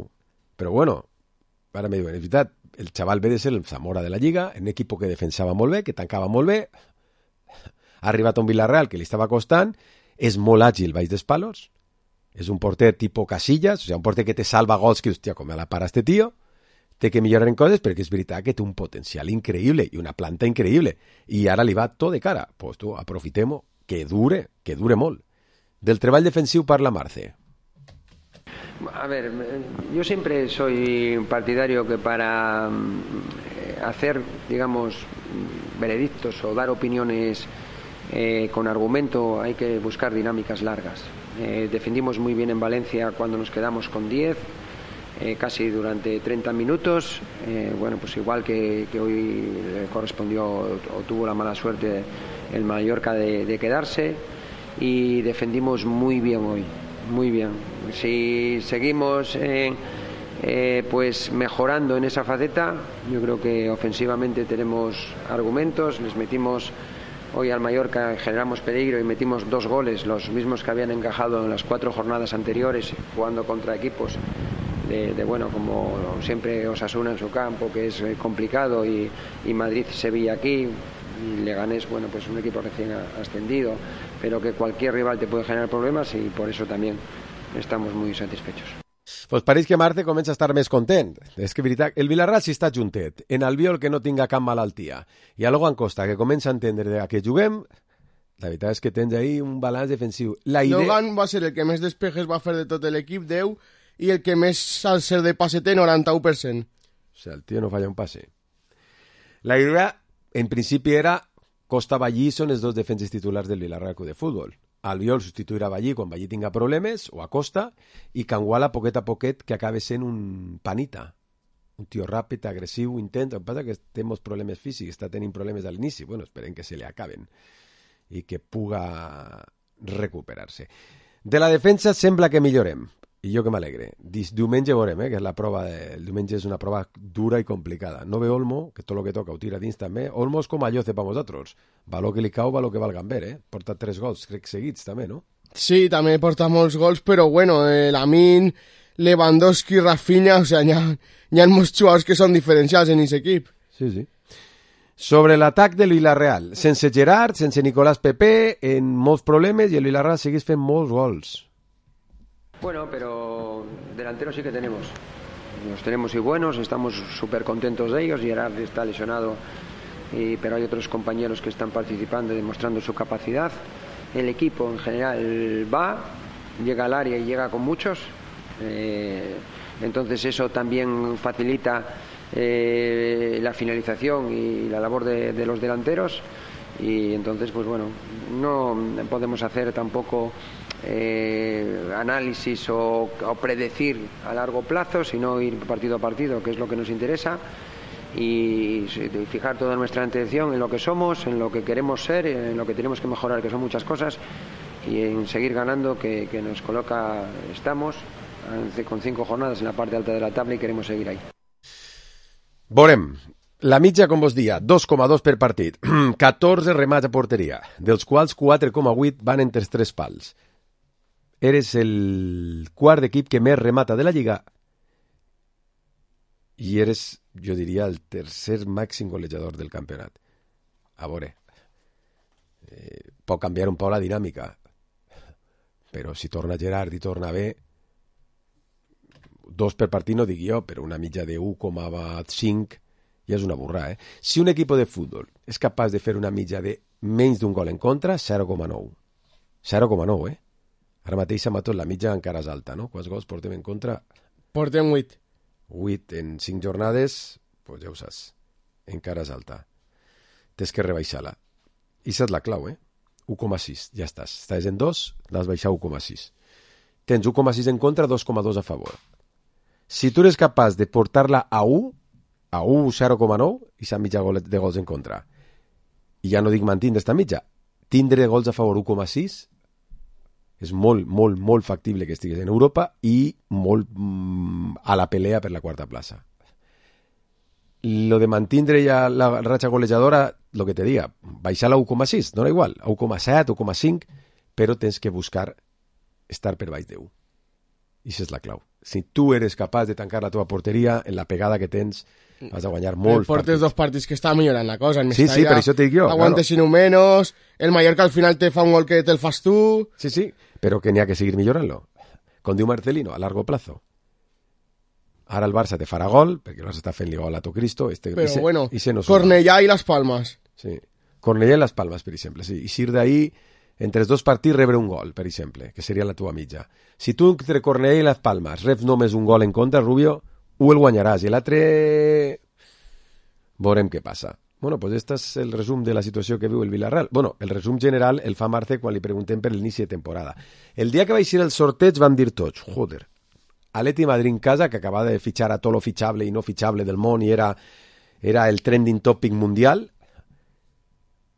Però bueno, ara m'he dit, és veritat, el xaval ve de ser el Zamora de la Lliga, un equip que defensava molt bé, que tancava molt bé, ha arribat a un Villarreal que li estava costant, és molt àgil baix dels palos, és un porter tipus Casillas, o sigui, un porter que te salva gols que, hòstia, com me la para este tio, té que millorar en coses perquè és veritat que té un potencial increïble i una planta increïble i ara li va tot de cara. Pues tu, aprofitem-ho, que dure molt. Del treball defensiu parla Marce. A ver, yo siempre soy partidario que para hacer, digamos, veredictos o dar opiniones con argumento hay que buscar dinámicas largas. Defendimos muy bien en Valencia cuando nos quedamos con 10, casi durante 30 minutos. Bueno, pues igual que hoy le correspondió o tuvo la mala suerte el Mallorca de quedarse. y defendimos muy bien hoy, muy bien. Si seguimos pues mejorando en esa faceta, yo creo que ofensivamente tenemos argumentos. Les metimos hoy al Mallorca, generamos peligro y metimos 2 goles, los mismos que habían encajado en las 4 jornadas anteriores, jugando contra equipos bueno, como siempre Osasuna en su campo, que es complicado, y Madrid-Sevilla aquí, y Leganés, bueno, pues un equipo recién ascendido, pero que cualquier rival te puede generar problemas, y por eso también estamos muy satisfechos. Pues pareix que Marte comença a estar més content. És que, veritat, el Vilarral sí està juntet. En Albiol, que no tinga cap malaltia. I a Logan Costa, que comença a entendre que juguem, la veritat és que tens ahí un balanç defensiu. Logan va ser el que més despejes va fer de tot l'equip, 10, i el que més al ser de passe té, 91%. O sigui, el tio no falla un passe. La idea, en principi, era Costa-Ballí són els 2 defenses titulars del Vilarral Club de Futbol. Albiol substituirà Ballí quan Ballí tinga problemes, o a Costa, i Canguala poquet a poquet que acabe sent un panita. Un tio ràpid, agressiu, intent. El que passa que té molts problemes físics, està tenint problemes a l'inici. Bueno, esperem que se li acaben i que puga recuperar-se. De la defensa sembla que millorem, i jo que m'alegre. Diumenge veurem, que és la prova el diumenge és una prova dura i complicada. No ve Olmo, que tot el que toca ho tira dins també. Olmo és com a Lloce per vosaltres. Valor que li cau, valor que val Gamber, Porta 3 gols, crec, seguits també, no? Sí, també porta molts gols, però bueno, Lamin, Lewandowski, Rafinha, o sigui, hi ha molts jugadors que són diferencials en aquest equip. Sí, sí. Sobre l'atac del Villarreal, sense Gerard, sense Nicolás Pepe, en molts problemes, i el Villarreal segueix fent molts gols. Bueno, pero delanteros sí que tenemos. Los tenemos y buenos, estamos súper contentos de ellos. Gerard está lesionado, pero hay otros compañeros que están participando y demostrando su capacidad. El equipo en general va, llega al área y llega con muchos. Entonces eso también facilita la finalización y la labor de los delanteros. Y entonces, pues bueno, no podemos hacer tampoco análisis o predecir a largo plazo, sino ir partido a partido, que es lo que nos interesa, y fijar toda nuestra atención en lo que somos, en lo que queremos ser, en lo que tenemos que mejorar, que son muchas cosas, y en seguir ganando, que nos coloca, estamos con 5 jornadas en la parte alta de la tabla y queremos seguir ahí. Veurem. La mitja, com vos dia, 2,2 per partit, 14 remats a porteria, dels quals 4,8 van entre els 3 pals. Eres el quart equip que més remata de la Lliga i eres, jo diria, el tercer màxim golejador del campionat. A veure, pot canviar un poc la dinàmica, però si torna Gerard i torna bé, 2 per partit no dic jo, però una mitja de 1,5 ja és una burrada, Si un equip de futbol és capaç de fer una mitja de menys d'un gol en contra, 0,9. 0,9, Ara mateix a Matos la mitja encara és alta, no? Quants gols portem en contra? Portem 8. 8 en 5 jornades, doncs ja ho saps, encara és alta. Tens que rebaixar-la. I és la clau, 1,6, ja estàs. Estàs en 2, l'has baixat 1,6. Tens 1,6 en contra, 2,2 a favor. Si tu eres capaç de portar-la a 1, 0,9, i s'ha mitja de gols en contra. I ja no dic mantindre esta mitja. Tindre gols a favor 1,6 és molt, molt, molt factible que estigués en Europa i molt a la pelea per la quarta plaça. Lo de mantindre ja la ratxa golejadora, lo que te diga, baixar-la a 1,6, dona igual, a 1,7, 1,5, però tens que buscar estar per baix de 1. I això és la clau. Si tu eres capaç de tancar la teva porteria, en la pegada que tens, vas a guanyar molts partits. Portes 2 partits que està millorant la cosa. Sí, per això t'ho dic jo. Aguantes un menos, el Mallorca al final te fa un gol que te'l fas tu. Sí, però que n'hi ha que seguir millorant-lo. Com diu Marcelino, a largo plazo. Ara el Barça te farà gol, perquè el Barça està fent-li gol a tu Cristo. Però bueno, Cornellà i Las Palmas. Sí, Cornellà i Las Palmas, per exemple. Sí. I sir d'ahí, entre els 2 partits, rebre un gol, per exemple, que seria la teva mitja. Si tu entre Cornellà i Las Palmas reps només un gol en contra, Rubio, el guanyaràs, i l'altre veurem què passa. Bueno, pues este és el resum de la situació que viu el Villarreal. Bueno, el resum general el fa Marce quan li preguntem per l'inici de temporada. El dia que va eixir el sorteig vam dir tots, joder, Atleti Madrid en casa, que acabava de fitxar a tot lo fitxable i no fitxable del món i era el trending topic mundial.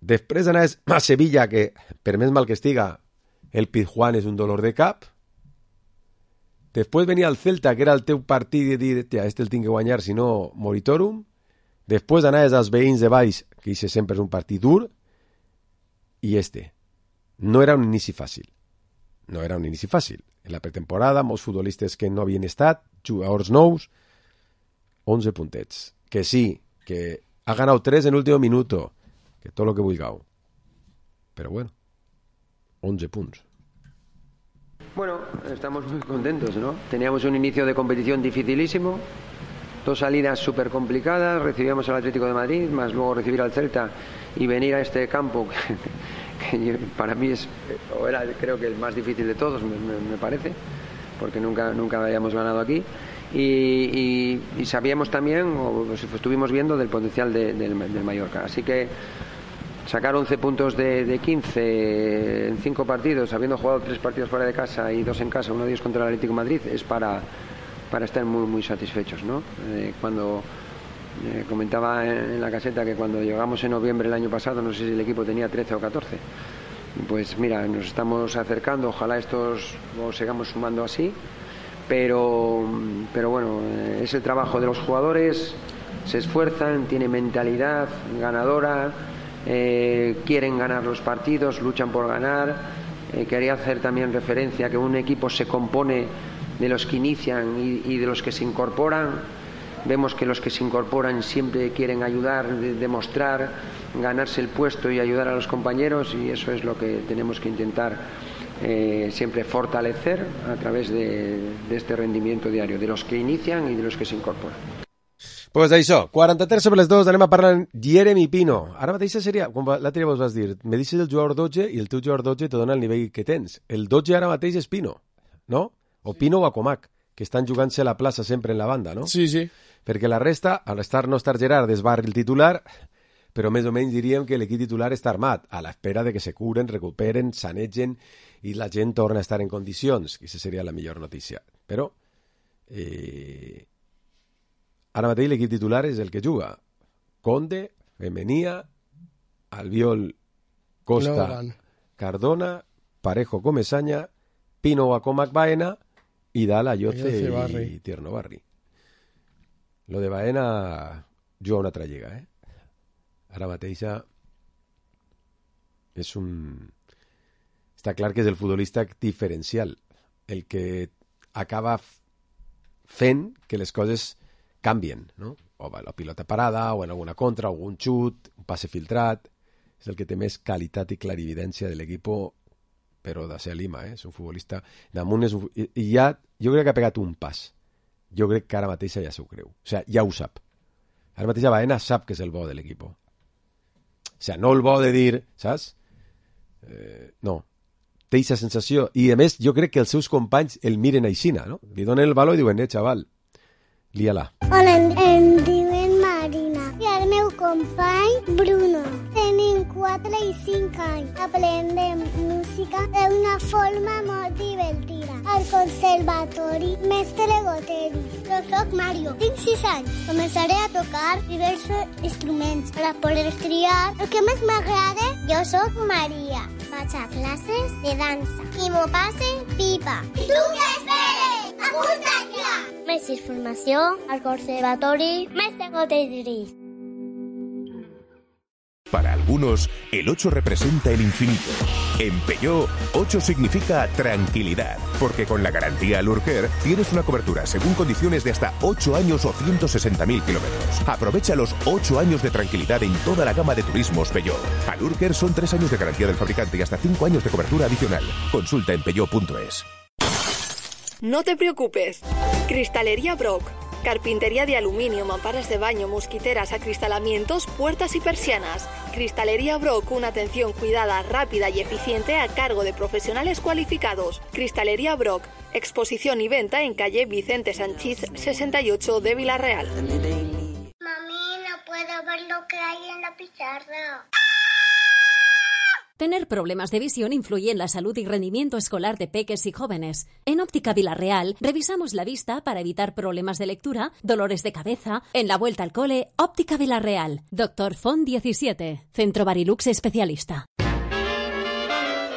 Després anaves a Sevilla, que per més mal que estiga, el Pizjuán és un dolor de cap. Després venia el Celta, que era el teu partit, i dir, este el tinc que guanyar, si no, moritorum. Després anaves als veïns de Valls, que això sempre és un partit dur, i no era un inici fàcil. No era un inici fàcil. En la pretemporada, molts futbolistes que no havien estat, jugadors nous, 11 puntets. Que sí, que ha ganado 3 en último minuto, que todo lo que vulgueu. Pero bueno, 11 puntos. Bueno, estamos muy contentos, ¿no? Teníamos un inicio de competición dificilísimo, 2 salidas súper complicadas, recibíamos al Atlético de Madrid, más luego recibir al Celta y venir a este campo, que para mí era creo que el más difícil de todos, me parece, porque nunca habíamos ganado aquí. Y sabíamos también, o estuvimos viendo, del potencial del Mallorca. Así que sacar 11 puntos de 15 en 5 partidos, habiendo jugado 3 partidos fuera de casa y 2 en casa, uno de ellos contra el Atlético de Madrid, es para estar muy, muy satisfechos, ¿no? Cuando comentaba en la caseta que cuando llegamos en noviembre el año pasado, no sé si el equipo tenía 13 o 14, pues mira, nos estamos acercando, ojalá estos lo sigamos sumando así, pero bueno, es el trabajo de los jugadores, se esfuerzan, tienen mentalidad ganadora, quieren ganar los partidos, luchan por ganar. Quería hacer también referencia a que un equipo se compone de los que inician y de los que se incorporan. Vemos que los que se incorporan siempre quieren ayudar, demostrar, ganarse el puesto y ayudar a los compañeros, y eso es lo que tenemos que intentar siempre fortalecer a través de este rendimiento diario, de los que inician y de los que se incorporan. Pues això, 43 sobre les 2, anem a parlar amb Jeremy Pino. Ara mateix seria, com l'altre dia vos vas dir, me deixes el jugador 12 i el teu jugador 12 te dona el nivell que tens. El 12 ara mateix és Pino, no? O Pino o Acomac, que estan jugant-se la plaça sempre en la banda, no? Sí, sí. Perquè la resta, al no estar Gerard, desbarri el titular, però més o menys diríem que l'equip titular està armat, a l'espera de que se curen, recuperen, sanegen i la gent torna a estar en condicions, que aquesta seria la millor notícia. Però ara mateix l'equip titular és el que juga. Conde, Femenia, Albiol, Costa, Logan, Cardona, Parejo, Comesaña, Pino, Acomac, Baena i dalt Ayoce i Tierno Barri. Lo de Baena juga una altra lliga, Ara mateix és està clar que és el futbolista diferencial, el que acaba fent que les coses canvien, no? O la pilota parada, o en alguna contra, o algun xut, un passe filtrat. És el que té més qualitat i clarividència de l'equip, però de ser Lima, és un futbolista damunt, i ja, jo crec que ha pegat un pas. Jo crec que ara mateix ja s'ho creu. O sigui, ja ho sap. Ara mateix Baena sap que és el bo de l'equip. O sigui, no el bo de dir, saps? No. Té aquesta sensació. I, a més, jo crec que els seus companys el miren aixina, no? Li donen el valor i diuen, xaval, lia-la. Hola, em diuen Marina. I el meu company, Bruno. Tenim 4 i 5 anys. Aprendem música d'una forma molt divertida. Al conservatori Mestre Goteris. Jo soc Mario. Tinc 6 anys. Començaré a tocar diversos instruments per a poder triar el que més m'agrada. Jo soc Maria. Vaig a classes de dansa. I m'ho passe pipa. I tu què esperes? Apunta't ja! Més informació al conservatori Mestre Goteris. Para algunos, el 8 representa el infinito. En Peugeot, 8 significa tranquilidad, porque con la garantía Lurker tienes una cobertura según condiciones de hasta 8 años o 160.000 kilómetros. Aprovecha los 8 años de tranquilidad en toda la gama de turismos Peugeot. A Lurker son 3 años de garantía del fabricante y hasta 5 años de cobertura adicional. Consulta en peugeot.es. No te preocupes. Cristalería Brock. Carpintería de aluminio, mamparas de baño, mosquiteras, acristalamientos, puertas y persianas. Cristalería Brock, una atención cuidada, rápida y eficiente a cargo de profesionales cualificados. Cristalería Brock, exposición y venta en calle Vicente Sanchís 68 de Vila-real. Mami, no puedo ver lo que hay en la pizarra. Tener problemas de visión influye en la salud y rendimiento escolar de peques y jóvenes. En Óptica Vila-real revisamos la vista para evitar problemas de lectura, dolores de cabeza. En la vuelta al cole, Óptica Vila-real. Dr. Font 17, Centro Barilux Especialista.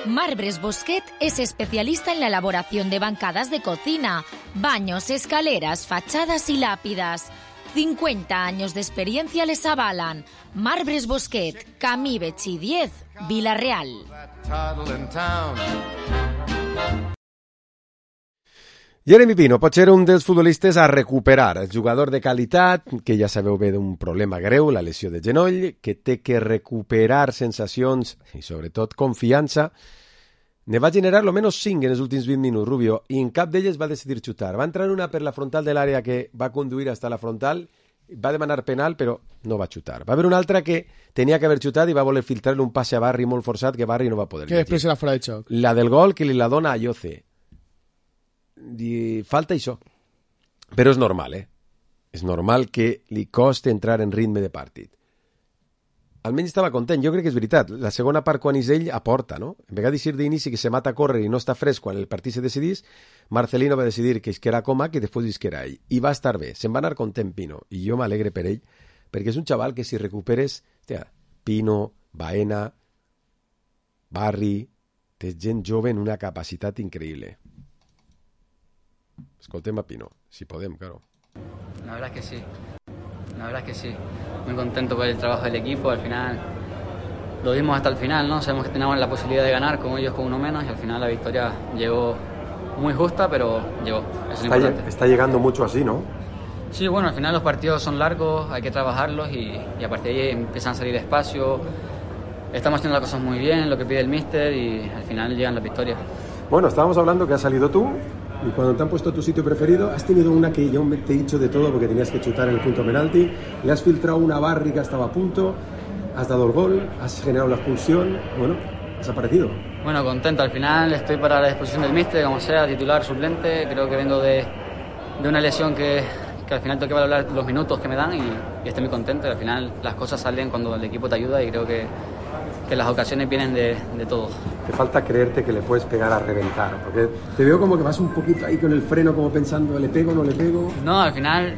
Marbres Bosquet es especialista en la elaboración de bancadas de cocina, baños, escaleras, fachadas y lápidas. 50 años de experiencia les avalan. Marbres Bosquet, Camí Betxí 10, Vila-real. Jeremy Pino pot ser un dels futbolistes a recuperar, el jugador de qualitat, que ja sabeu bé d'un problema greu, la lesió de genoll, que té que recuperar sensacions i sobretot confiança. Ne va generar almenys 5 en els últims 20 minuts, Rubio, i en cap d'elles va decidir xutar. Va entrar una per la frontal de l'àrea que va conduir fins a la frontal, va demanar penal, però no va xutar. Va haver una altra que tenia que haver xutat i va voler filtrar-li un passe a Barri molt forçat que Barri no va poder. Que després era fora de xoc. La del gol que li la dona a Yoce. Falta això. Però és normal, És normal que li costi entrar en ritme de partit. Almenys estava content, jo crec que és veritat. La segona part, quan és ell, aporta, no? En vegada de dir d'inici que se mata a córrer i no està fresc quan el partit se decidís, Marcelino va decidir que era Comac i després que era ell. I va estar bé, se'n va anar content Pino. I jo m'alegre per ell, perquè és un xaval que si recuperes, Pino, Baena, Barri, té gent jove en una capacitat increïble. Escoltem a Pino, si podem, claro. La verdad es que sí. La verdad es que sí. Muy contento por el trabajo del equipo. Al final lo dimos hasta el final, ¿no? Sabemos que teníamos la posibilidad de ganar con ellos con uno menos y al final la victoria llegó muy justa, pero llegó. Eso es lo importante. Está llegando mucho así, ¿no? Sí, bueno, al final los partidos son largos, hay que trabajarlos y a partir de ahí empiezan a salir despacio. Estamos haciendo las cosas muy bien, lo que pide el míster y al final llegan las victorias. Bueno, estábamos hablando que has salido tú. Y cuando te han puesto tu sitio preferido, has tenido una que yo te he dicho de todo porque tenías que chutar en el punto penalti, le has filtrado una Barri que estaba a punto, has dado el gol, has generado la expulsión, bueno, has aparecido. Bueno, contento, al final estoy para la disposición del míster, como sea, titular, suplente, creo que vengo de una lesión que al final tengo que valorar los minutos que me dan y estoy muy contento, al final las cosas salen cuando el equipo te ayuda y creo que las ocasiones vienen de todos. Te falta creerte que le puedes pegar a reventar, porque te veo como que vas un poquito ahí con el freno como pensando, ¿le pego o no le pego? No, al final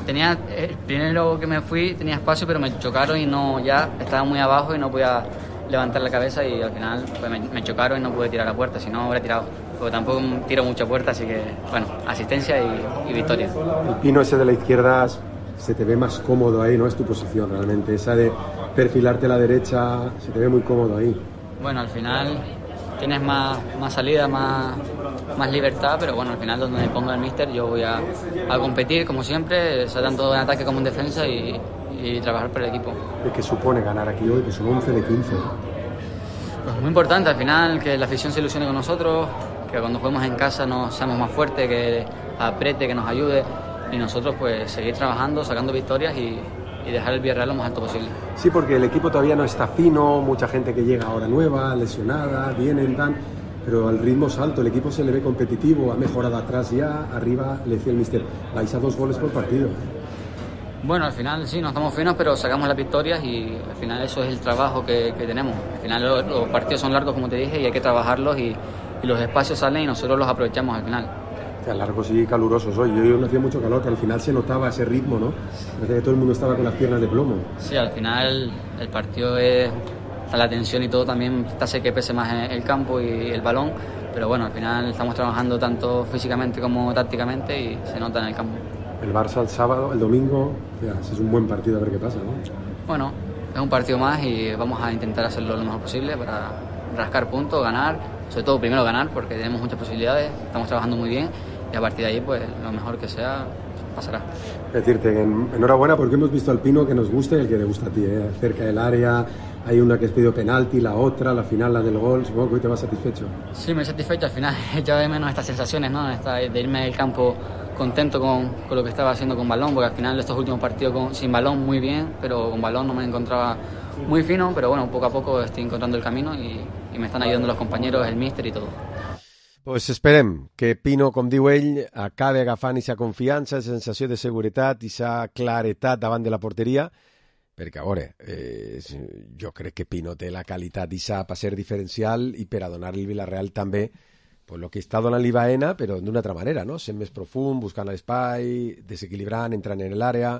tenía, el primero que me fui tenía espacio, pero me chocaron y no, ya estaba muy abajo y no podía levantar la cabeza y al final pues, me chocaron y no pude tirar la puerta, si no hubiera tirado, porque tampoco tiro mucha puerta, así que bueno, asistencia y victoria. El Pino ese de la izquierda se te ve más cómodo ahí, ¿no? Es tu posición realmente, esa de perfilarte a la derecha, se te ve muy cómodo ahí. Bueno, al final tienes más salida, más libertad, pero bueno, al final donde me ponga el míster yo voy a competir como siempre, sea tanto en ataque como en defensa y trabajar por el equipo. ¿Qué supone ganar aquí hoy? Que son 11 de 15. Pues muy importante, al final que la afición se ilusione con nosotros, que cuando juguemos en casa nos seamos más fuertes, que apriete, que nos ayude y nosotros pues seguir trabajando, sacando victorias y dejar el Villarreal lo más alto posible. Sí, porque el equipo todavía no está fino, mucha gente que llega ahora nueva, lesionada, vienen, dan, pero al ritmo es alto, el equipo se le ve competitivo, ha mejorado atrás ya, arriba le decía el míster, vais a 2 goles por partido. Bueno, al final sí, no estamos finos, pero sacamos las victorias y al final eso es el trabajo que tenemos. Al final los partidos son largos, como te dije, y hay que trabajarlos y los espacios salen y nosotros los aprovechamos al final. Largos y calurosos hoy. Yo no hacía mucho calor, pero al final se notaba ese ritmo, ¿no? Parece que todo el mundo estaba con las piernas de plomo. Sí, al final el partido está la tensión y todo también hace que pese más el campo y el balón, pero bueno, al final estamos trabajando tanto físicamente como tácticamente y se nota en el campo. El Barça el sábado, el domingo, es un buen partido, a ver qué pasa, ¿no? Bueno, es un partido más y vamos a intentar hacerlo lo mejor posible para rascar puntos, ganar, sobre todo primero ganar porque tenemos muchas posibilidades, estamos trabajando muy bien y a partir de ahí pues lo mejor que sea pasará. Decirte enhorabuena porque hemos visto al Pino que nos gusta y el que le gusta a ti, cerca del área, hay una que has pedido penalti, la otra, la final, la del gol, supongo que hoy te vas satisfecho. Sí, me satisfecho, al final ya de menos estas sensaciones, ¿no? De irme del campo contento con lo que estaba haciendo con balón, porque al final estos últimos partidos sin balón muy bien, pero con balón no me encontraba muy fino, pero bueno, poco a poco estoy encontrando el camino y me están ayudando los compañeros, el míster y todo. Pues esperem que Pino, com diu ell, acabi agafant aquesta confiança, aquesta sensació de seguretat, aquesta claretat davant de la porteria, perquè, a veure, jo crec que Pino té la qualitat d'issa per ser diferencial i per a donar-li al Villarreal també pues, el que està donant-li Baena, però d'una altra manera, no? Sent més profund, buscant l'espai, desequilibrant, entrant en l'àrea.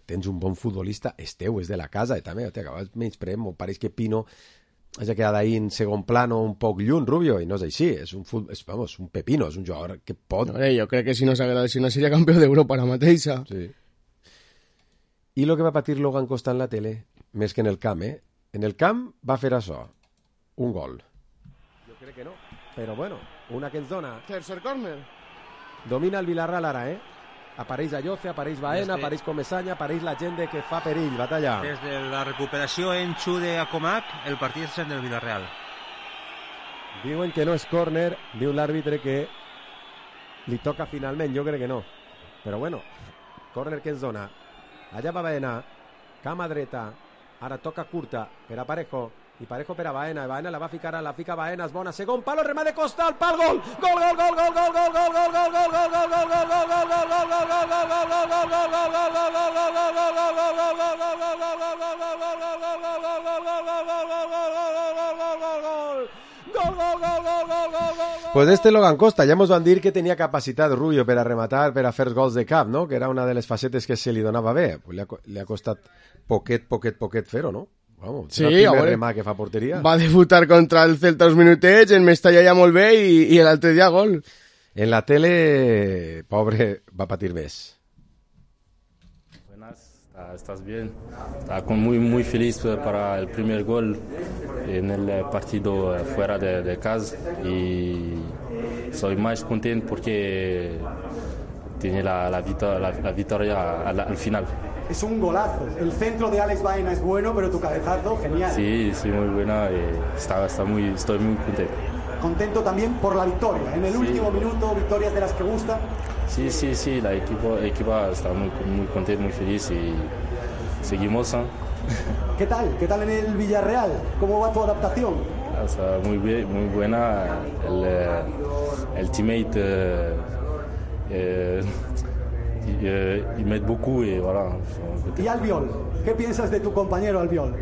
Tens un bon futbolista, és teu, és de la casa, i també t'acabes menyspreant, m'ho pareix que Pino hagi quedat ahí en segon plano un poc lluny, Rubio, i no és així, és un pepino, és un jugador que pot... Jo crec que si no s'hagués lesionat seria campió d'Europa ara mateixa. Sí. I el que va patir Logan Costa en la tele, més que en el camp, En el camp va fer això, un gol. Jo crec que no, però bueno, una que ens dona... Tercer córner. Domina el Villarreal ara, Apareix Ayoce, apareix Baena, apareix Comesaña, apareix la gent que fa perill, batalla. Des de la recuperació en Chu de Acomac, el partit és del Villarreal. Diuen que no és córner, diu l'àrbitre que li toca finalment, jo crec que no. Però bueno, córner que ens dona. Allà va Baena, cama dreta, ara toca curta per a Parejo, i Parejo per a Baena, Baena la va ficar, la fica Baena, és bona, segon palo, remate de Costa, al pal, gol! Gol, gol, gol, gol, gol, gol, gol, gol, gol, gol, gol, gol, gol, gol, pues este Logan Costa, ja ens van dir que tenia capacitat Rubio per a rematar, per a fer gols de cap, no? Que era una de les facetes que se li donava bé. Pues li ha costat poquet fer-ho, no? Vamos, sí, el primer remà que fa porteria. Va debutar contra el Celta uns minutets, en Mestalla ja molt bé i l'altre dia gol. En la tele, pobre, va patir més. Estás bien. Estaba muy feliz para el primer gol en el partido fuera de casa y soy más contento porque tiene la victoria al final. Es un golazo. El centro de Alex Baena es bueno, pero tu cabezazo, genial. Sí, muy buena. Estoy muy contento. Contento también por la victoria. En el último minuto, victorias de las que gustan. Sí, la equipo está muy contento, muy feliz y seguimos. ¿Qué tal en el Villarreal? ¿Cómo va tu adaptación? Está muy bien, muy buena. El teammate y met beaucoup y voilà. ¿Y Albiol? ¿Qué piensas de tu compañero Albiol?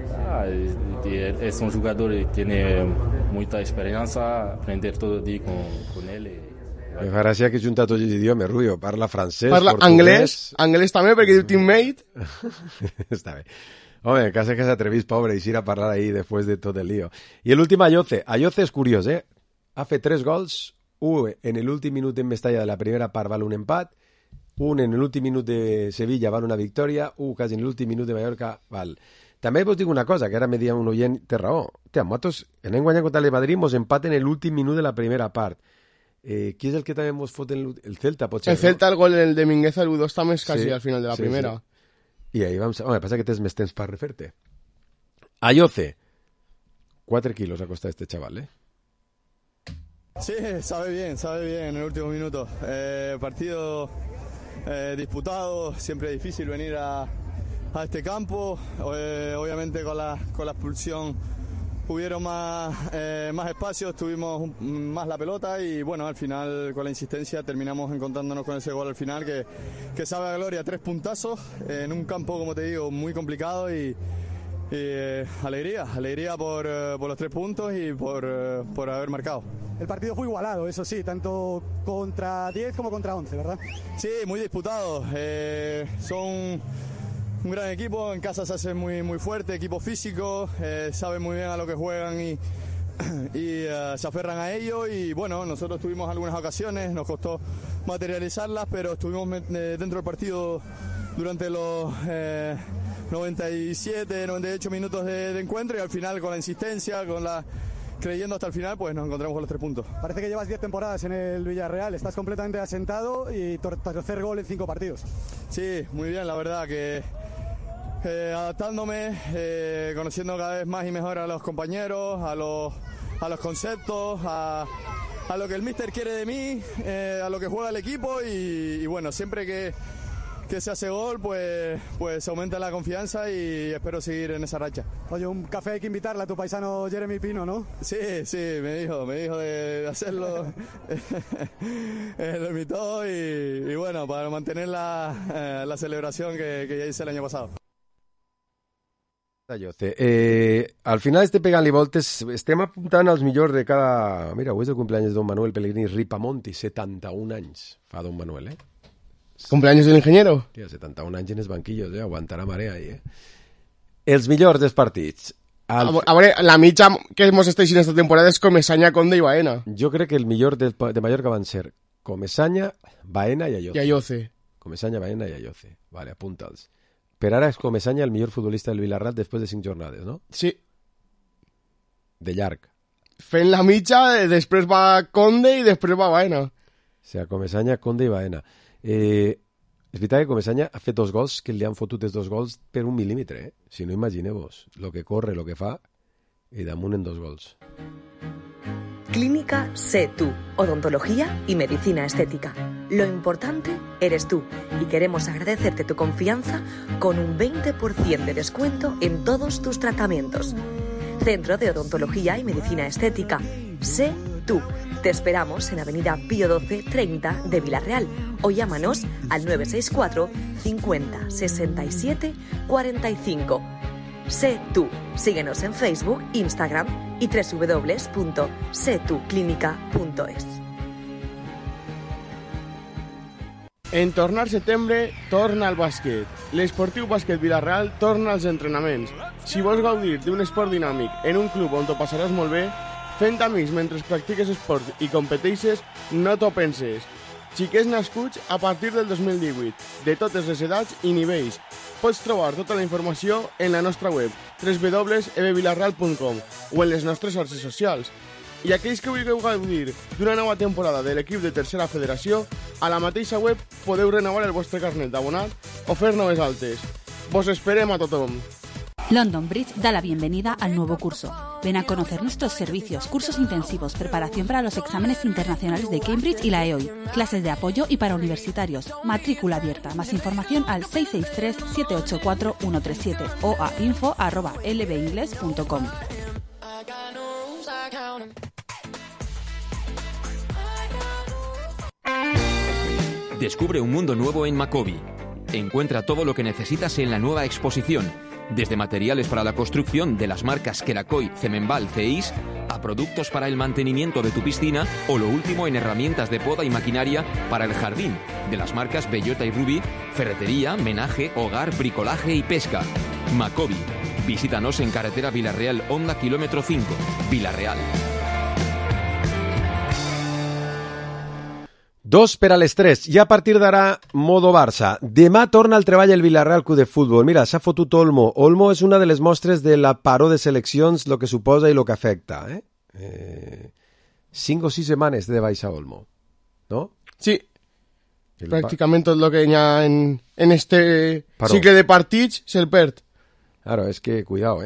Es un jugador que tiene mucha experiencia, aprender todo el día con él. Me fa gràcia que junta tots els idiomes, Rubio. Parla francès, parla portuguès... anglès també, perquè diu teammate. Està bé. Home, quasi que s'atrevís, pobre, i a parlar ahí després de tot el lío. I l'últim Ayoce. Ayoce és curiós, Ha fet 3 gols, un en l'últim minut en Mestalla de la primera part val un empat, un en l'últim minut de Sevilla val una victòria, un quasi en l'últim minut de Mallorca val... També vos dic una cosa, que ara me dia un oient, té raó. Nosaltres anem guanyant contra el Madrid, mos empaten en l'últim minut de la primera part. Qui és el que també mos fot el Celta? Potser, el Celta, el gol de Mingueza, el 1-2 també és quasi al final de la primera. Sí. I ahí vam... Home, passa que tens més temps per refer-te. Ayoce. 4 kilos ha costat este chaval, Sí, sabe bien en el último minuto. Partido disputado, siempre difícil venir a este campo. Obviamente con la expulsión hubieron más espacios, tuvimos más la pelota y bueno, al final con la insistencia terminamos encontrándonos con ese gol al final que sabe a gloria. 3 puntazos en un campo, como te digo, muy complicado y alegría por los 3 puntos y por haber marcado. El partido fue igualado, eso sí, tanto contra 10 como contra 11, ¿verdad? Sí, muy disputado. Son un gran equipo, en casa se hace muy fuerte, equipo físico, saben muy bien a lo que juegan y se aferran a ello y bueno, nosotros tuvimos algunas ocasiones, nos costó materializarlas, pero estuvimos dentro del partido durante los 97, 98 minutos de encuentro y al final con la insistencia, creyendo hasta el final, pues nos encontramos con los 3 puntos. Parece que llevas 10 temporadas en el Villarreal, estás completamente asentado y tercer gol en 5 partidos. Sí, muy bien, la verdad que adaptándome, conociendo cada vez más y mejor a los compañeros, a los conceptos, a lo que el míster quiere de mí, a lo que juega el equipo y bueno, siempre que se hace gol, pues aumenta la confianza y espero seguir en esa racha. Oye, un café hay que invitarle a tu paisano Jeremy Pino, ¿no? Sí, me dijo de hacerlo. Lo invitó y bueno, para mantener la celebración que ya hice el año pasado. Al final pegant-li voltes, estem apuntant als millors de cada... Mira, avui és el cumpleaños de Don Manuel Pellegrini Ripamonti, 71 anys fa Don Manuel, ¿Cumpleaños del ingeniero? Tío, 71 anys en els banquillos, aguantarà marea ahí, Els millors dels partits. A veure, la mitja que hemos estat en esta temporada és Comesaña, Conde i Baena. Jo crec que el millor de Mallorca van ser Comesaña, Baena i Ayoce. Comesaña, Baena i Ayoce. Vale, apunta'ls. Per ara és Comesaña el millor futbolista del Vilarrat després de 5 jornades, no? Sí. De llarg. Fent la mitja, després va Conde i després va Baena. O sigui, Comesaña, Conde i Baena. És veritat que Comesaña ha fet 2 gols que li han fotut els 2 gols per 1 mil·límetre, eh? Si no, imagineu-vos lo que corre, lo que fa, y damunt en 2 gols. Clínica Sé Tú, odontología y medicina estética. Lo importante eres tú y queremos agradecerte tu confianza con un 20% de descuento en todos tus tratamientos. Centro de Odontología y Medicina Estética. Sé Tú. Te esperamos en Avenida Pío 12 30 de Vilarreal o llámanos al 964 50 67 45. Sé Tú. Síguenos en Facebook, Instagram y www.setuclinica.es. En tornar setembre, torna al bàsquet. L'Esportiu Bàsquet Vilarreal torna als entrenaments. Si vols gaudir d'un esport dinàmic en un club on t'ho passaràs molt bé, fent amics mentre practiques esport i competeixes, no t'ho penses. Xiquets nascuts a partir del 2018, de totes les edats i nivells. Pots trobar tota la informació en la nostra web www.ebvilarreal.com o en les nostres xarxes socials. I aquells que vulgueu gaudir d'una nova temporada de l'equip de Tercera Federació, a la mateixa web podeu renovar el vostre carnet d'abonat o fer noves altes. Vos esperem a tothom. London Bridge da la bienvenida al nuevo curso. Ven a conocer nuestros servicios, cursos intensivos, preparación para los exámenes internacionales de Cambridge y la EOI, clases de apoyo y para universitarios, matrícula abierta. Más información al 663-784-137 o a info@lbingles.com. Descubre un mundo nuevo en Macobi. Encuentra todo lo que necesitas en la nueva exposición, desde materiales para la construcción de las marcas Quelacoy, Cemenbal, Ceis, a productos para el mantenimiento de tu piscina o lo último en herramientas de poda y maquinaria para el jardín, de las marcas Bellota y Ruby, ferretería, menaje, hogar, bricolaje y pesca. Macobi. Visítanos en carretera Vilarreal, Honda, kilómetro 5, Vilarreal. 2 per a les 3. I a partir d'ara, modo Barça. Demà torna al treball el Vilarreal Club de Futbol. Mira, s'ha fotut Olmo. Olmo és una de les mostres de la paró de seleccions, lo que suposa i lo que afecta. 5 o 6 setmanes de baixa Olmo, no? Sí. Pràcticament tot el que hi ha en este cicle de partits se'l perd. Claro, és que, cuidao,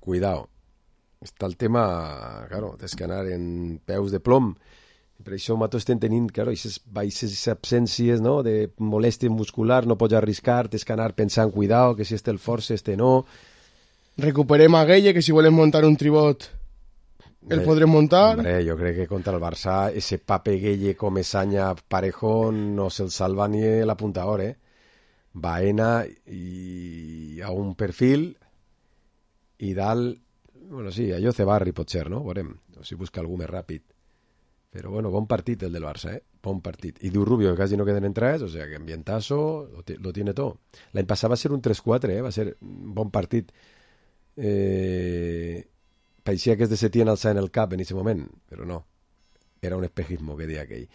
Cuidao. Està el tema, claro, tens que anar en peus de plom. Per això nosaltres estem tenint, claro, aquestes absències, no?, de molèstia muscular, no pots arriscar, tens que anar pensant, cuidao, que si este el força, este no. Recuperem a Gueye, que si volem muntar un tribot el podrem muntar. Hombre, jo crec que contra el Barça ese Pape, Gueye, Comesaña, Parejo no se'l salva ni l'apuntador, Baena i a un perfil i dalt, bueno, sí, allò Cebarri pot ser, no? Veurem, o si busca algú més ràpid. Però bueno, bon partit el del Barça, bon partit. I diu Rubio que quasi no queden entrades, o sea que ambientazo, lo tiene todo. L'any passat va ser un 3-4, va ser un bon partit. Parecía que es de Setién alçar en el cap en ese moment, però no. Era un espejismo que deia aquell.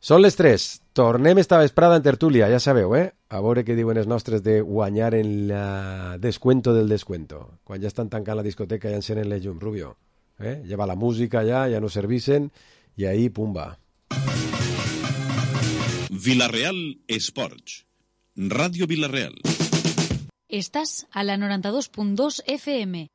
Són les 3. Tornem esta vesprada en tertúlia, ja sabeu, A veure què diuen els nostres de guanyar en la descuento del descuento. Quan ja estan tancant la discoteca ja encenen les llums, Rubio. Lleva la música ja no servicen i ahí, pumba. Vilarreal Esports. Ràdio Vilarreal. Estás a la 92.2 FM.